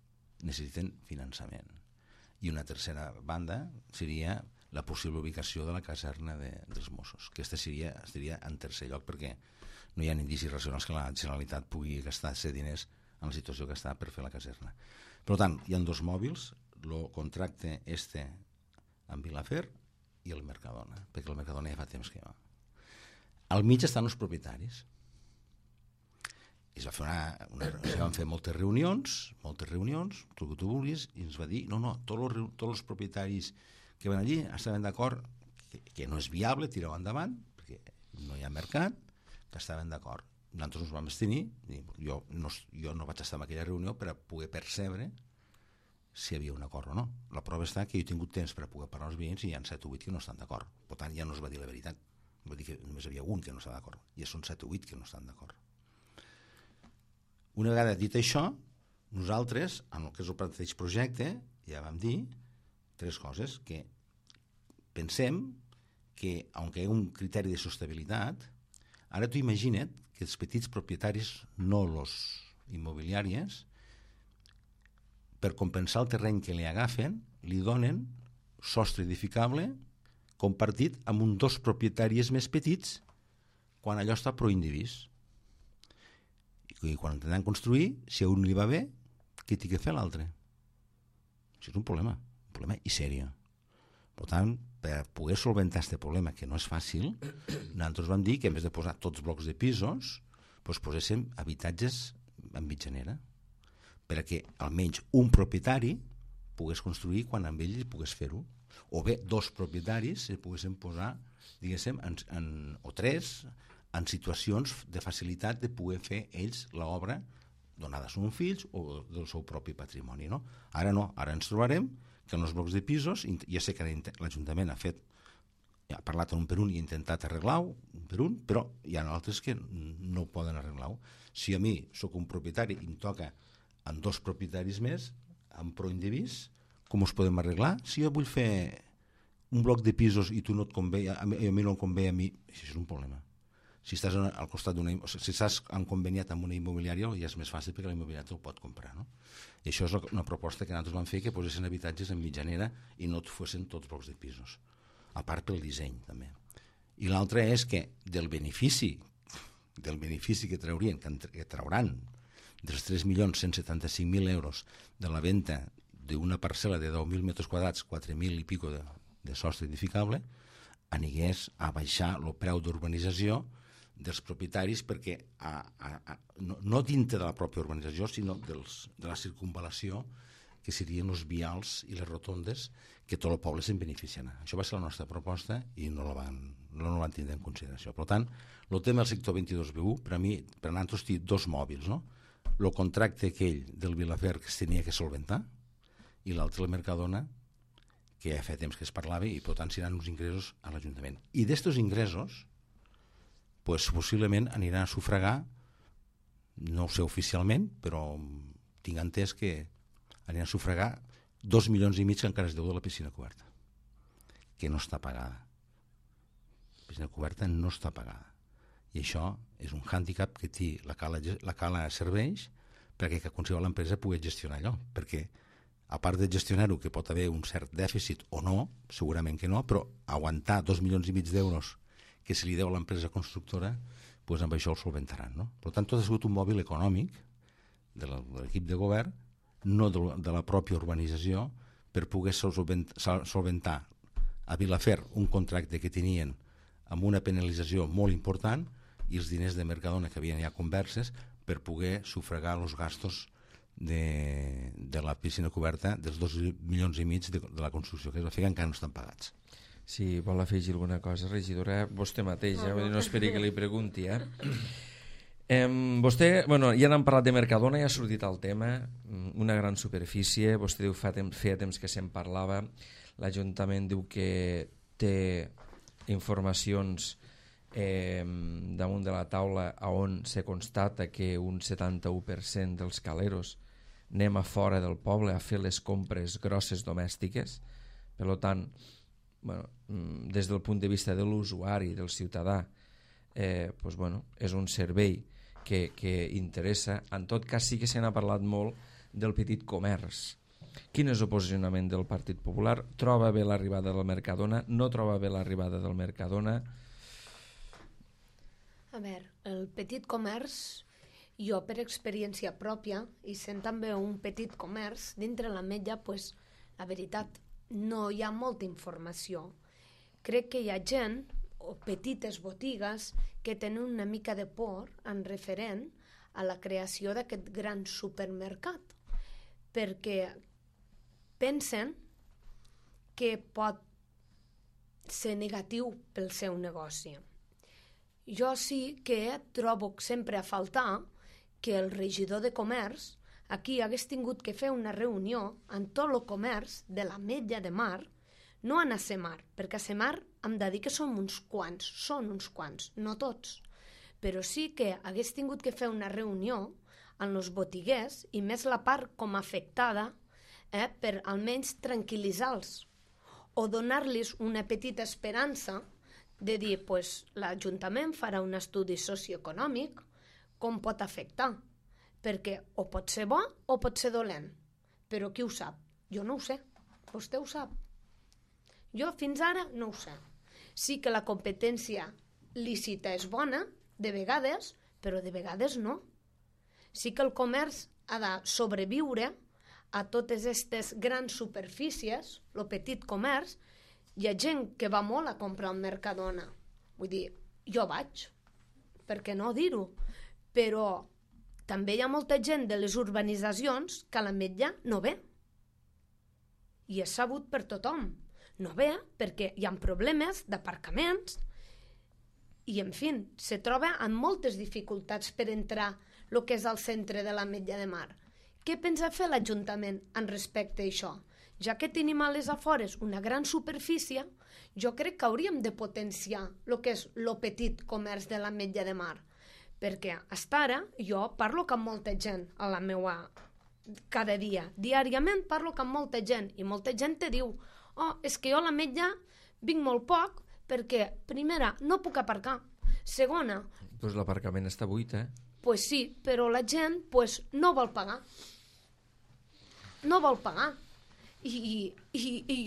Necessiten finançament. I una tercera banda seria la possible ubicació de la caserna dels Mossos. Aquesta estaria en tercer lloc perquè no hi ha indicis racionals que la Generalitat pugui gastar-se diners en la situació que està per fer la caserna. Per tant, hi ha dos mòbils, el contracte amb Vilafer i el Mercadona, perquè el Mercadona ja fa temps que va. Al mig estan els propietaris. Es van fer moltes reunions, tot el que tu vulguis, i ens va dir, no, tots els propietaris que van allí estaven d'acord que no és viable tirar-ho endavant, perquè no hi ha mercat, que estaven d'acord. Nosaltres ens vam abstenir, jo no vaig estar en aquella reunió per a poder percebre si hi havia un acord o no. La prova està que jo he tingut temps per a poder parlar als veïns i hi ha 7 o 8 que no estan d'acord. Per tant, ja no es va dir la veritat. Va dir que només hi havia un que no està d'acord. Ja són 7 o 8 que no estan d'acord. Una vegada dit això, nosaltres, en el que és el mateix projecte, ja vam dir 3 coses, que pensem que, aunque hi ha un criteri de sostenibilitat, ara tu imagina't que els petits propietaris, no los immobiliàries, per compensar el terreny que li agafen, li donen sostre edificable compartit amb uns 2 propietaris més petits quan allò està proindivís. I quan intenten construir, si a un li va bé, què té que fer l'altre? Això és un problema i sèrio. Per tant, per poder solventar aquest problema, que no és fàcil, nosaltres vam dir que en vez de posar tots blocs de pisos, poséssim habitatges en mitjanera, perquè almenys un propietari pogués construir quan amb ell pogués fer-ho. O bé 2 propietaris se poguessin posar, diguéssim, o 3, en situacions de facilitat de poder fer ells l'obra donada a uns fills o del seu propi patrimoni. No? Ara no, ara ens trobarem que en els blocs de pisos, ja sé que l'Ajuntament ha parlat un per un i ha intentat arreglar-ho un per un, però hi ha altres que no poden arreglar-ho. Si a mi sóc un propietari i em toca amb 2 propietaris més, amb proindivís, com us podem arreglar? Si jo vull fer un bloc de pisos i tu no et convé, a mi no em convé a mi, això és un problema. Si estàs al costat si estàs conveniat amb una immobiliària, ja és més fàcil perquè la immobiliària te'l pot comprar, no? I això és una proposta que nosaltres vam fer, que posessin habitatges en mitjanera i no fossin tots blocs de pisos, a part pel disseny també. I l'altre és que del benefici que trauran dels 3.175.000 euros de la venda d'una parcel·la de 10.000 metres quadrats, 4.000 i pico de sostre edificable, anigués a baixar el preu d'urbanització dels propietaris perquè no dintre de la pròpia urbanització, sinó de la circunvalació, que serien els vials i les rotondes, que tot el poble se'n beneficiarà. Això va ser la nostra proposta i no la van tindre en consideració. Per tant, el tema del sector 22B1, per a mi, per a nosaltres, té 2 mòbils, no? El contracte aquell del Vilafer que es tenia que solventar i l'altre, el Mercadona, que ja fa temps que es parlava i per tant seran uns ingressos a l'Ajuntament. I d'estos ingressos, possiblement aniran a sufragar, no ho sé oficialment, però tinc entès que aniran a sufragar 2,5 milions que encara es deu de la piscina coberta, que no està pagada. La piscina coberta no està pagada. I això és un hàndicap que té la cala serveix perquè qualsevol empresa pugui gestionar allò, perquè a part de gestionar-ho, que pot haver un cert dèficit o no, segurament que no, però aguantar 2,5 milions d'euros que se li deu a l'empresa constructora, doncs amb això el solventaran. No? Per tant, tot ha sigut un mòbil econòmic de l'equip de govern, no de la pròpia urbanització, per poder solventar a Vilafer un contracte que tenien amb una penalització molt important i els diners de Mercadona que havien ja converses per poder sufragar els gastos de la piscina coberta dels 2,5 milions de la construcció que es va fer, que encara no estan pagats.
Si vol afegir alguna cosa, regidora, vostè mateix, no esperi que li pregunti. Vostè, ja n'han parlat de Mercadona, ja ha sortit el tema, una gran superfície, vostè diu feia temps que se'n parlava, l'Ajuntament diu que té informacions damunt de la taula on se constata que un 71% dels caleros anem a fora del poble a fer les compres grosses domèstiques. Per tant, des del punt de vista de l'usuari, del ciutadà, és un servei que interessa. En tot cas, sí que se n'ha parlat molt del petit comerç. Quin és el posicionament del Partit Popular? Troba bé l'arribada del Mercadona? No troba bé l'arribada del Mercadona?
A veure, el petit comerç, jo per experiència pròpia, i sent també un petit comerç, dintre l'Ametlla, la veritat, no hi ha molta informació. Crec que hi ha gent, o petites botigues, que tenen una mica de por en referent a la creació d'aquest gran supermercat, perquè pensen que pot ser negatiu pel seu negoci. Jo sí que trobo sempre a faltar que el regidor de comerç aquí hagués tingut que fer una reunió amb tot el comerç de l'Ametlla de Mar, no a Semar, perquè a Semar hem de dir que són uns quants, no tots, però sí que hagués tingut que fer una reunió amb els botiguers i més la part com afectada per almenys tranquil·litzar-los o donar-los una petita esperança de dir, l'Ajuntament farà un estudi socioeconòmic, com pot afectar, perquè o pot ser bo o pot ser dolent, però qui ho sap? Jo no ho sé, vostè ho sap. Jo fins ara no ho sé. Sí que la competència lícita és bona, de vegades, però de vegades no. Sí que el comerç ha de sobreviure a totes aquestes grans superfícies, el petit comerç. Hi ha gent que va molt a comprar al Mercadona. Vull dir, jo vaig, per què no dir-ho? Però també hi ha molta gent de les urbanitzacions que a l'Ametlla no ve. I és sabut per tothom. No ve perquè hi ha problemes d'aparcaments i, en fi, se troba amb moltes dificultats per entrar el que és al centre de l'Ametlla de Mar. Què pensa fer l'Ajuntament en respecte a això? Ja que tenim a les afores una gran superfície, jo crec que hauríem de potenciar el que és el petit comerç de l'Ametlla de Mar, perquè fins ara jo parlo amb molta gent a la meua cada dia, diàriament parlo amb molta gent i molta gent te diu és que jo a l'Ametlla vinc molt poc perquè, primera, no puc aparcar, segona...
Doncs l'aparcament està buit,
Pues sí, però la gent no vol pagar. No vol pagar. I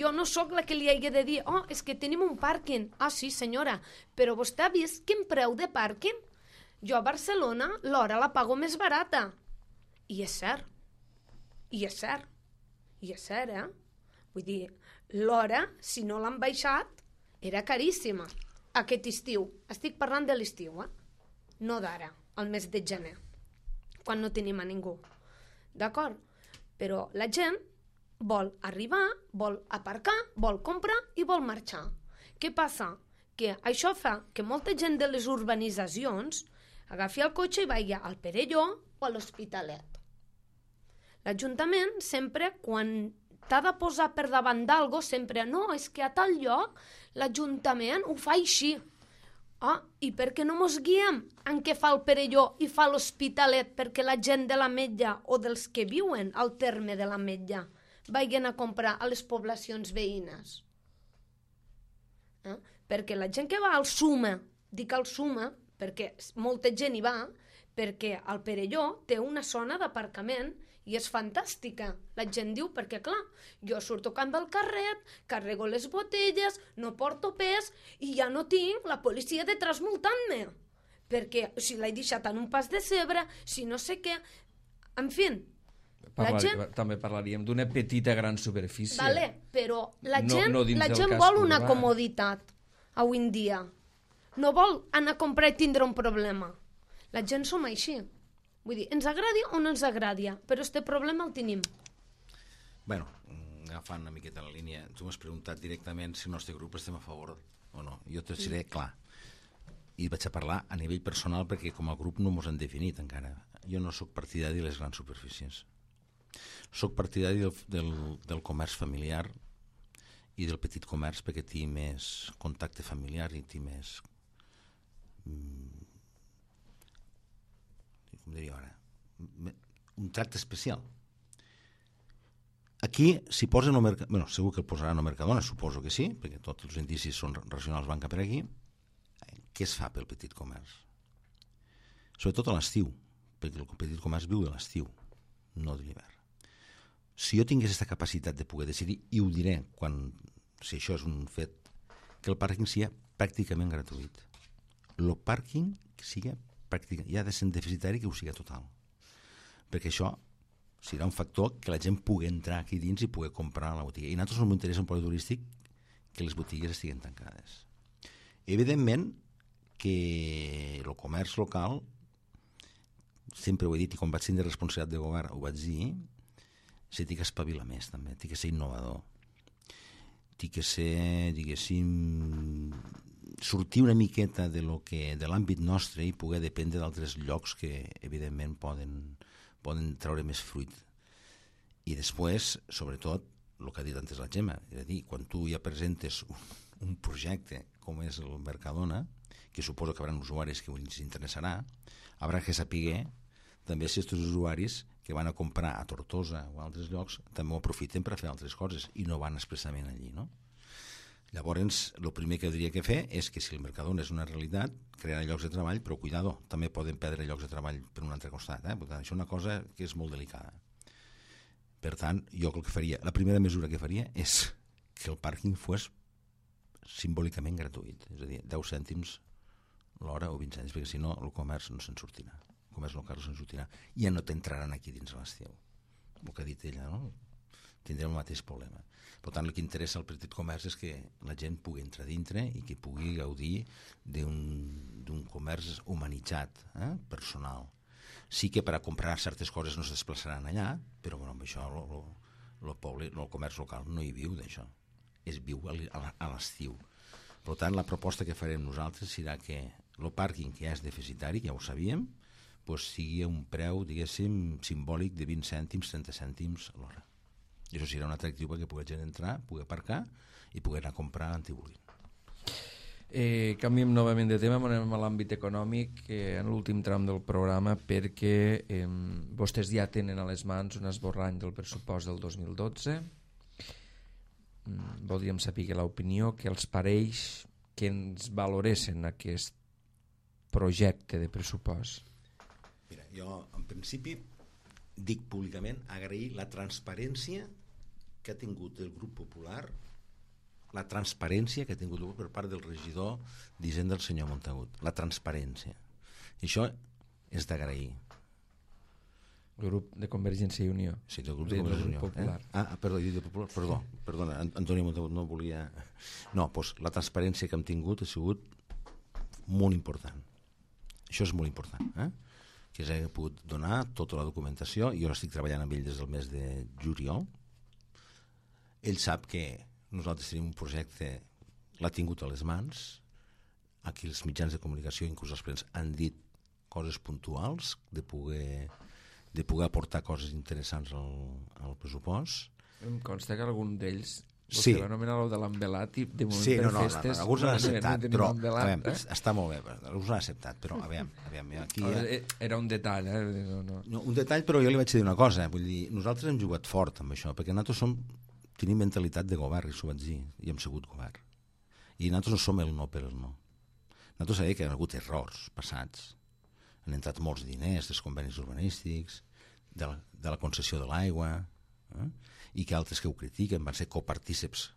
jo no sóc la que li hagi de dir és que tenim un pàrquing. Sí senyora, però vostè ha vist quin preu de pàrquing? Jo a Barcelona l'hora la pago més barata. I és cert. Vull dir, l'hora, si no l'han baixat, era caríssima. Aquest estiu, estic parlant de l'estiu, no d'ara, al mes de gener, quan no tenim a ningú. D'acord? Però la gent vol arribar, vol aparcar, vol comprar i vol marxar. Què passa? Que això fa que molta gent de les urbanitzacions agafi el cotxe i vagi al Perelló o a l'Hospitalet. L'Ajuntament sempre, quan t'ha de posar per davant d'algo, sempre és que a tal lloc l'Ajuntament ho fa així. I per què no mos guiem en què fa el Perelló i fa l'Hospitalet perquè la gent de l'Ametlla o dels que viuen al terme de l'Ametlla vagin a comprar a les poblacions veïnes? Perquè la gent que va al Suma, dic al Suma perquè molta gent hi va, perquè el Perelló té una zona d'aparcament i és fantàstica. La gent diu, perquè clar, jo surto amb el carret, carrego les botelles, no porto pes i ja no tinc la policia detrás multant-me. Perquè si l'he deixat en un pas de cebre, si no sé què... En fi,
També parlaríem d'una petita gran superfície.
Vale, però la gent,
no dins
la
del
gent
casc
vol una
urbà.
comoditat avui en dia. No vol anar a comprar i tindre un problema. La gent som així. Vull dir, ens agradi o no ens agradi, però este problema el tenim.
Bueno, agafant una miqueta la línia, tu m'has preguntat directament si el nostre grup estem a favor o no. Jo t'ho diré clar. I vaig a parlar a nivell personal perquè com a grup no mos han definit encara. Jo no sóc partidari de les grans superfícies. Soc partidari del comerç familiar i del petit comerç perquè té més contacte familiar i té més com diria ara un tracte especial. Aquí s'hi posa en el Mercadona, bueno, segur que el posaran al Mercadona, suposo que sí, perquè tots els indicis són racionals, van cap per aquí. Què es fa pel petit comerç? Sobretot a l'estiu, perquè el petit comerç viu de l'estiu, no de l'hivern. Si jo tingués aquesta capacitat de poder decidir, i ho diré si això és un fet, que el pàrquing sigui pràcticament gratuït. El pàrquing sigui pràcticament, ja ha de ser deficitari que ho sigui total. Perquè això serà un factor que la gent pugui entrar aquí dins i pugui comprar a la botiga. I a nosaltres no m'interessa un producte turístic que les botigues estiguin tancades. Evidentment que el comerç local, sempre ho he dit i quan vaig tenir responsabilitat de govern ho vaig dir, s'ha de espavilar més també, té que ser innovador, té que ser, diguéssim, sortir una miqueta de l'àmbit nostre i poder dependre d'altres llocs que evidentment poden treure més fruit. I després, sobretot, el que ha dit antes la Gemma, és a dir, quan tu ja presentes un projecte com és el Mercadona, que suposo que hi haurà usuaris que ens interessarà, haurà que saber també si aquests usuaris que van a comprar a Tortosa o a altres llocs també ho aprofiten per a fer altres coses i no van expressament allí, no? Llavors, el primer que hauria que fer és que si el Mercadona és una realitat, crearà llocs de treball, però cuidado, també poden perdre llocs de treball per un altre costat. Per tant, això és una cosa que és molt delicada. Per tant, jo el que faria, la primera mesura que faria és que el pàrquing fos simbòlicament gratuït, és a dir, 10 cèntims l'hora o 20 cèntims, perquè si no el comerç no se'n sortirà. El comerç local no se'n sortirà. Ja no t'entraran aquí dins a l'estiu. El que ha dit ella, no? Tindrem el mateix problema. Per tant, el que interessa al petit comerç és que la gent pugui entrar dintre i que pugui gaudir d'un comerç humanitzat, personal. Sí que per a comprar certes coses no es desplaçaran allà, però bueno, amb això el comerç local no hi viu d'això. Es viu a l'estiu. Per tant, la proposta que farem nosaltres serà que el pàrquing, que ja és deficitari, que ja ho sabíem, doncs sigui un preu, diguéssim, simbòlic de 20 cèntims, 30 cèntims a l'hora. I això serà un atractiu perquè pugui gent entrar, pugui aparcar i pugui anar a comprar antibolint.
Canviem novament de tema, anem a l'àmbit econòmic en l'últim tram del programa perquè vostès ja tenen a les mans un esborrany del pressupost del 2012. Voldríem saber l'opinió que els pareix que ens valoressin aquest projecte de pressupost.
Mira, jo en principi dic públicament agrair la transparència que ha tingut el grup popular, la transparència que ha tingut per part del regidor d'Hisenda, el senyor Montagut, la transparència. I això és d'agrair.
El grup de Convergència i Unió.
Sí, del grup de Convergència i Unió. Popular. Perdona, Antoni Montagut no volia... No, doncs la transparència que hem tingut ha sigut molt important. Això és molt important, que s'ha pogut donar tota la documentació. Jo estic treballant amb ell des del mes de juliol. Ell sap que nosaltres tenim un projecte, l'ha tingut a les mans, aquí els mitjans de comunicació, inclús els plens, han dit coses puntuals de poder aportar coses interessants al pressupost.
Em consta que algun d'ells
sí.
Va anomenar el de l'envelat i de moment
sí,
per festes...
alguns l'han acceptat, però
envelat,
està molt bé, alguns l'han acceptat, però aviam aquí
era un detall,
No, un detall, però jo li vaig dir una cosa, vull dir, nosaltres hem jugat fort amb això, perquè nosaltres tenim mentalitat de govern, i s'ho vaig dir, i hem sigut govern. I nosaltres no som el no per el no. Nosaltres sabem que hi ha hagut errors passats, Han entrat molts diners dels convenis urbanístics, de la concessió de l'aigua, i que altres que ho critiquen van ser copartíceps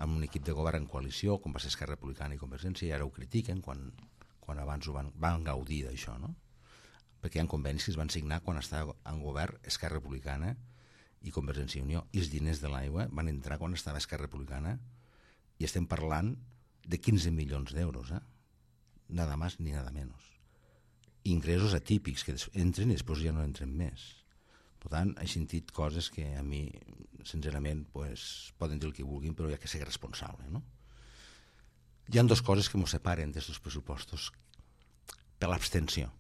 amb un equip de govern en coalició, com va ser Esquerra Republicana i Convergència, i ara ho critiquen quan abans van gaudir d'això, no? Perquè hi ha convenis que es van signar quan estava en govern Esquerra Republicana i Convergència i Unió, i els diners de l'aigua van entrar quan estava Esquerra Republicana, i estem parlant de 15 milions d'euros, nada más ni nada menos. Ingressos atípics que entren i després ja no entren més. Per tant, he sentit coses que a mi, sincerament, poden dir el que vulguin, però hi ha que ser responsable, no? Hi ha dues coses que ens separen d'aquests pressupostos per l'abstenció.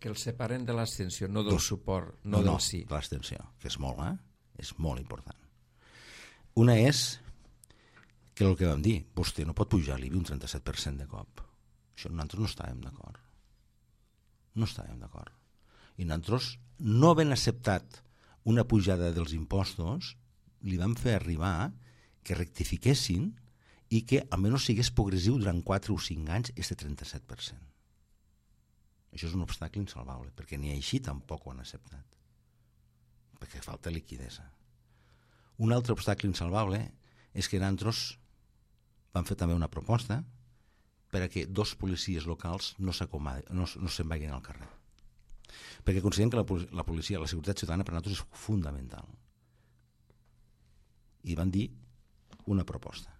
Que els separen de l'abstenció, no del suport, no del sí.
De l'abstenció, que és molt important. Una és que el que vam dir, vostè no pot pujar l'IBI un 37% de cop. Això nosaltres no estàvem d'acord. No estàvem d'acord. I nosaltres no havent acceptat una pujada dels impostos, li vam fer arribar que rectifiquessin i que almenys sigués progressiu durant 4 o 5 anys este 37%. Això és un obstacle insalvable, perquè ni així tampoc ho han acceptat, perquè falta liquidesa. Un altre obstacle insalvable és que nosaltres vam fer també una proposta per a que 2 policies locals no se'n vagin al carrer. Perquè considerem que la policia, la seguretat ciutadana per a nosaltres és fundamental. I van dir una proposta.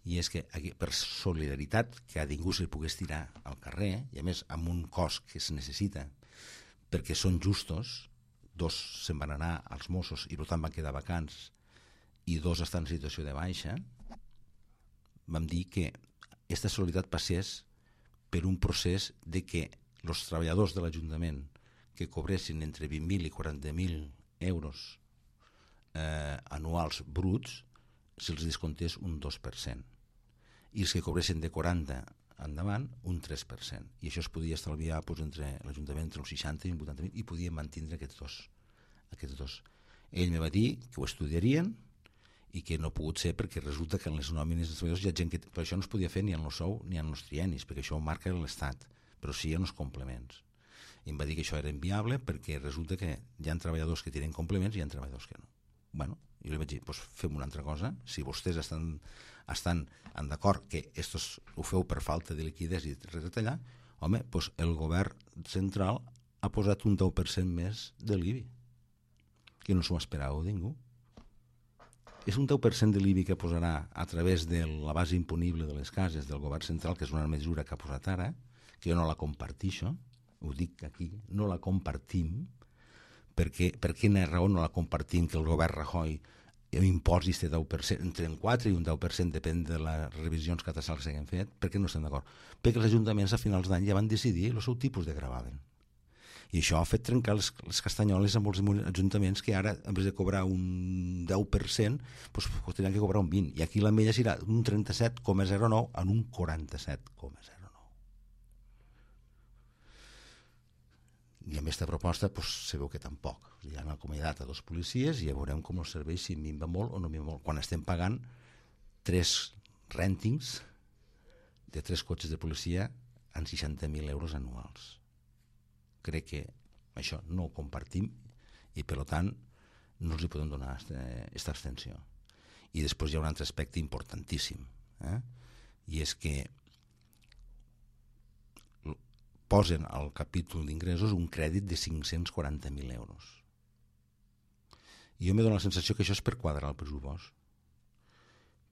I és que per solidaritat que a ningú se li pogués tirar al carrer, i a més amb un cost que es necessita perquè són justos, 2 se'n van anar als Mossos i per tant van quedar vacants i 2 estan en situació de baixa, vam dir que aquesta solidaritat passés per un procés de que els treballadors de l'Ajuntament que cobressin entre 20.000 i 40.000 euros anuals bruts se'ls descomptés un 2%, i els que cobressin de 40 endavant un 3%, i això es podia estalviar entre l'Ajuntament entre els 60 i 80.000 i podien mantindre aquests dos. Ell me va dir que ho estudiarien i que no ha pogut ser perquè resulta que en les nòmines dels treballadors hi ha gent que... Però això no es podia fer ni en el sou ni en els triennis, perquè això ho marca l'Estat, però sí en els complements. I em va dir que això era inviable perquè resulta que hi ha treballadors que tenen complements i hi ha treballadors que no. Bueno, jo li vaig dir, doncs fem una altra cosa, si vostès estan d'acord que estos ho feu per falta de liquiditat i retallar, home, doncs el govern central ha posat un 10% més de l'IBI, que no s'ho esperava ningú. És un 10% de l'IBI que posarà a través de la base imponible de les cases del govern central, que és una mesura que ha posat ara, que jo no la compartixo, ho dic aquí, no la compartim, perquè per quina raó no la compartim que el govern Rajoy imposi este 10%, entre un 4 i un 10%, depèn de les revisions catastrals que s'hagin fet. Per què no estem d'acord? Perquè els ajuntaments a finals d'any ja van decidir el seu tipus de gravamen. I això ha fet trencar les castanyoles amb els ajuntaments que ara, en vez de cobrar un 10%, doncs tindran que cobrar un 20%. I aquí la mella serà un 37,09 en un 47,09. I amb aquesta proposta se veu que tampoc. Hi ha acomiadat a 2 policies i ja veurem com els serveis si minva molt o no minva molt. Quan estem pagant 3 rèntings de 3 cotxes de policia en 60.000 euros anuals. Crec que això no ho compartim i per tant no els hi podem donar aquesta abstenció. I després hi ha un altre aspecte importantíssim, i és que posen al capítol d'ingressos un crèdit de 540.000 euros. I jo m'he donat la sensació que això és per quadrar el pressupost,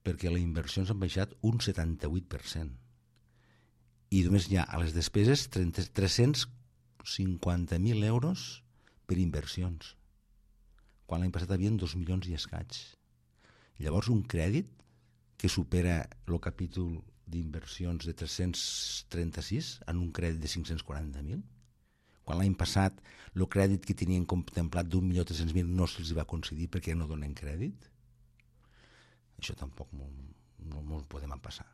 perquè les inversions han baixat un 78%, i només hi ha a les despeses 350.000 euros per inversions, quan l'any passat havien 2 milions i escaig. Llavors un crèdit que supera el capítol d'inversions de 336 en un crèdit de 540.000, quan l'any passat el crèdit que tenien contemplat d'1.300.000 no se'ls va concedir perquè no donen crèdit. Això tampoc no ho podem empassar.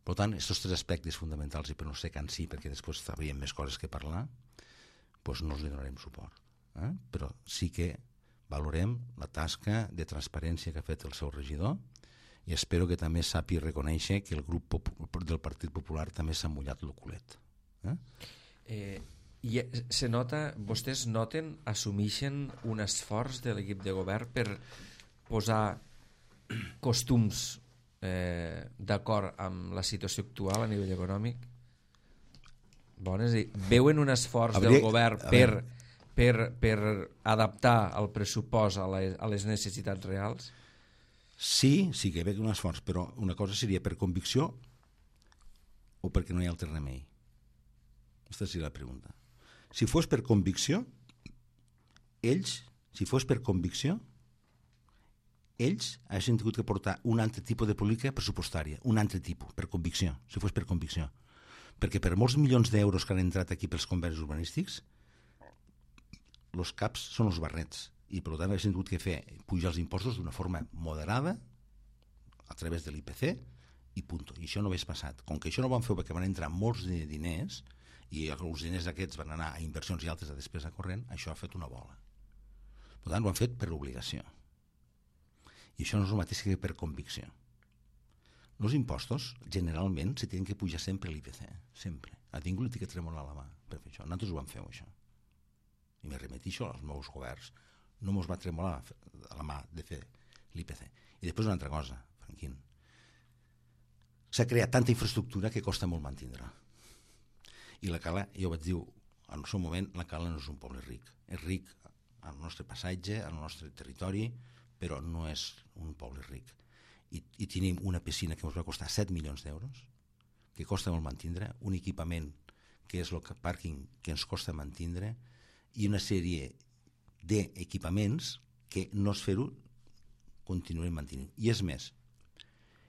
Per tant, aquests 3 aspectes fonamentals, i per no ser cansi, perquè després sabríem més coses que parlar, doncs no els donarem suport. Però sí que valorem la tasca de transparència que ha fet el seu regidor i espero que també sàpiga reconèixer que el grup del Partit Popular també s'ha mullat el culet.
I se nota, vostès noten, assumeixen un esforç de l'equip de govern per posar costums d'acord amb la situació actual a nivell econòmic? Bones, veuen un esforç del govern per adaptar el pressupost a les necessitats reals?
Sí que veig un esforç, però una cosa seria per convicció o perquè no hi ha altre remei. Aquesta seria la pregunta. Si fos per convicció, ells haguessin tingut que portar un altre tipus de política pressupostària, un altre tipus, per convicció, si fos per convicció. Perquè per molts milions d'euros que han entrat aquí pels convenis urbanístics, els caps són els barrets, i per tant haguessin tingut que fer pujar els impostos d'una forma moderada, a través de l'IPC, i punt. I això no hagués passat. Com que això no ho van fer perquè van entrar molts diners, i els diners aquests van anar a inversions i altres a despesa corrent, això ha fet una bola. Per tant, ho han fet per obligació. I això no és el mateix que per convicció. Els impostos, generalment, se tenen que pujar sempre l'IPC, sempre. A ningú li té que tremolar la mà per fer això. Nosaltres ho vam fer, això. I me remetixo als meus governs. No mos va tremolar la mà de fer l'IPC. I després una altra cosa, Franquín. S'ha creat tanta infraestructura que costa molt mantindre. I la Cala, jo vaig dir, en el seu moment, la Cala no és un poble ric. És ric al nostre passatge, al nostre territori, però no és un poble ric. I tenim una piscina que ens va costar 7 milions d'euros, que costa molt mantindre, un equipament que és el pàrquing que ens costa mantindre, i una sèrie d'equipaments que no es fer-ho continuem mantenint. I és més,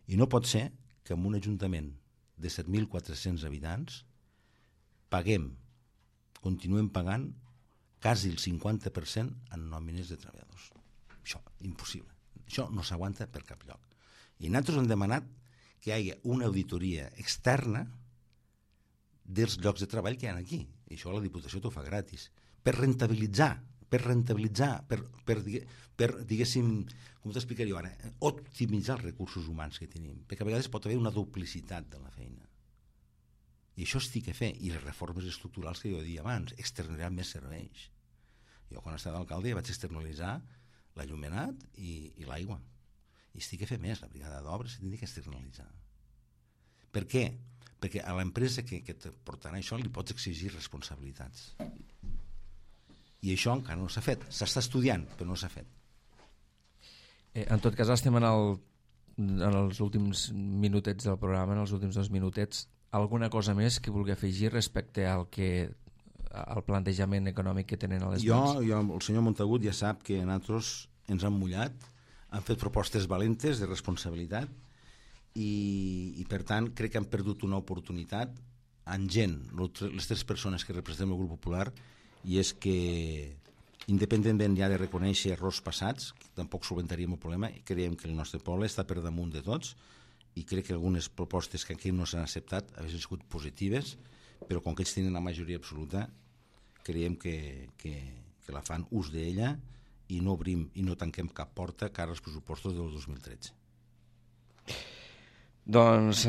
i no pot ser que en un ajuntament de 7.400 habitants continuem pagant quasi el 50% en nòmines de treballadors. Això, impossible. Això no s'aguanta per cap lloc. I nosaltres hem demanat que hi hagi una auditoria externa dels llocs de treball que hi ha aquí. I això la Diputació t'ho fa gratis. Per rentabilitzar, diguéssim, com t'explicaria jo ara, optimitzar els recursos humans que tenim. Perquè a vegades pot haver una duplicitat de la feina. I això es té que fer. I les reformes estructurals que jo deia abans, externalitzar més serveis. Jo quan estava d'alcalde vaig externalitzar l'allumenat i l'aigua. I es té que fer més. La brigada d'obres s'ha que externalitzar. Per què? Perquè a l'empresa que et portarà això li pots exigir responsabilitats. I això encara no s'ha fet. S'està estudiant, però no s'ha fet.
En tot cas, estem en els últims minutets del programa, en els últims 2 minutets. Alguna cosa més que vulgui afegir respecte al plantejament econòmic que tenen a les mans?
El senyor Montagut ja sap que nosaltres ens han mullat, han fet propostes valentes de responsabilitat i per tant crec que han perdut una oportunitat en gent, les 3 persones que representem el grup popular, i és que independentment ja de reconèixer errors passats, tampoc solventaríem el problema, i creiem que el nostre poble està per damunt de tots, i crec que algunes propostes que aquí no s'han acceptat haguessin sigut positives, però com que ells tenen la majoria absoluta, creiem que la fan ús d'ella i no obrim i no tanquem cap porta cara als pressupostos del 2013.
Doncs,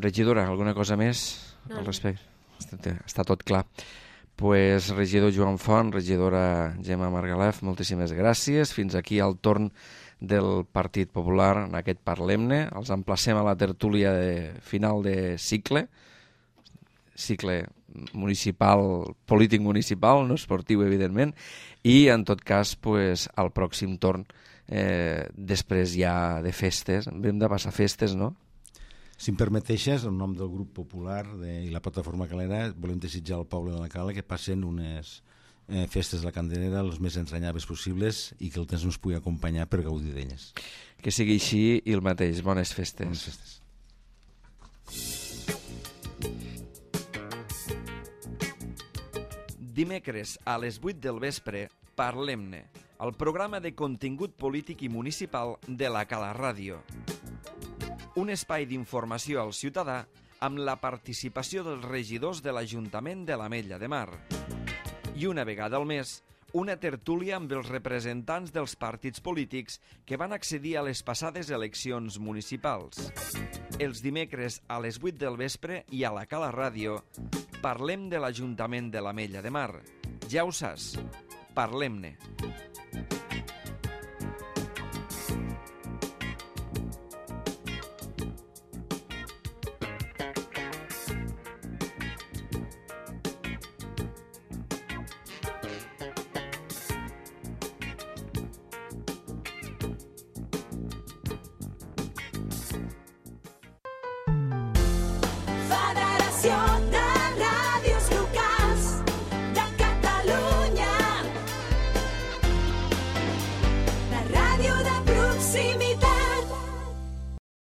regidora, alguna cosa més al respecte? Està tot clar. Pues, regidor Joan Font, regidora Gemma Margalef, moltíssimes gràcies. Fins aquí el torn del Partit Popular en aquest Parlem-ne. Els emplacem a la tertúlia final de cicle municipal, polític municipal, no esportiu, evidentment, i en tot cas al pròxim torn, després ja de festes. Hem de passar festes, no?
Si em permeteixes, en nom del grup popular i la plataforma Calera, volem desitjar al poble de la Cala que passen unes festes de la Candelera les més entranyables possibles i que el temps ens pugui acompanyar per gaudir d'elles.
Que sigui així i el mateix. Bones festes.
Bones festes.
Dimecres a les 8 del vespre, Parlem-ne, el programa de contingut polític i municipal de la Cala Ràdio. Un espai d'informació al ciutadà amb la participació dels regidors de l'Ajuntament de l'Ametlla de Mar. I una vegada al mes, una tertúlia amb els representants dels partits polítics que van accedir a les passades eleccions municipals. Els dimecres a les 8 del vespre i a la Cala Ràdio parlem de l'Ajuntament de l'Ametlla de Mar. Ja ho saps, parlem-ne.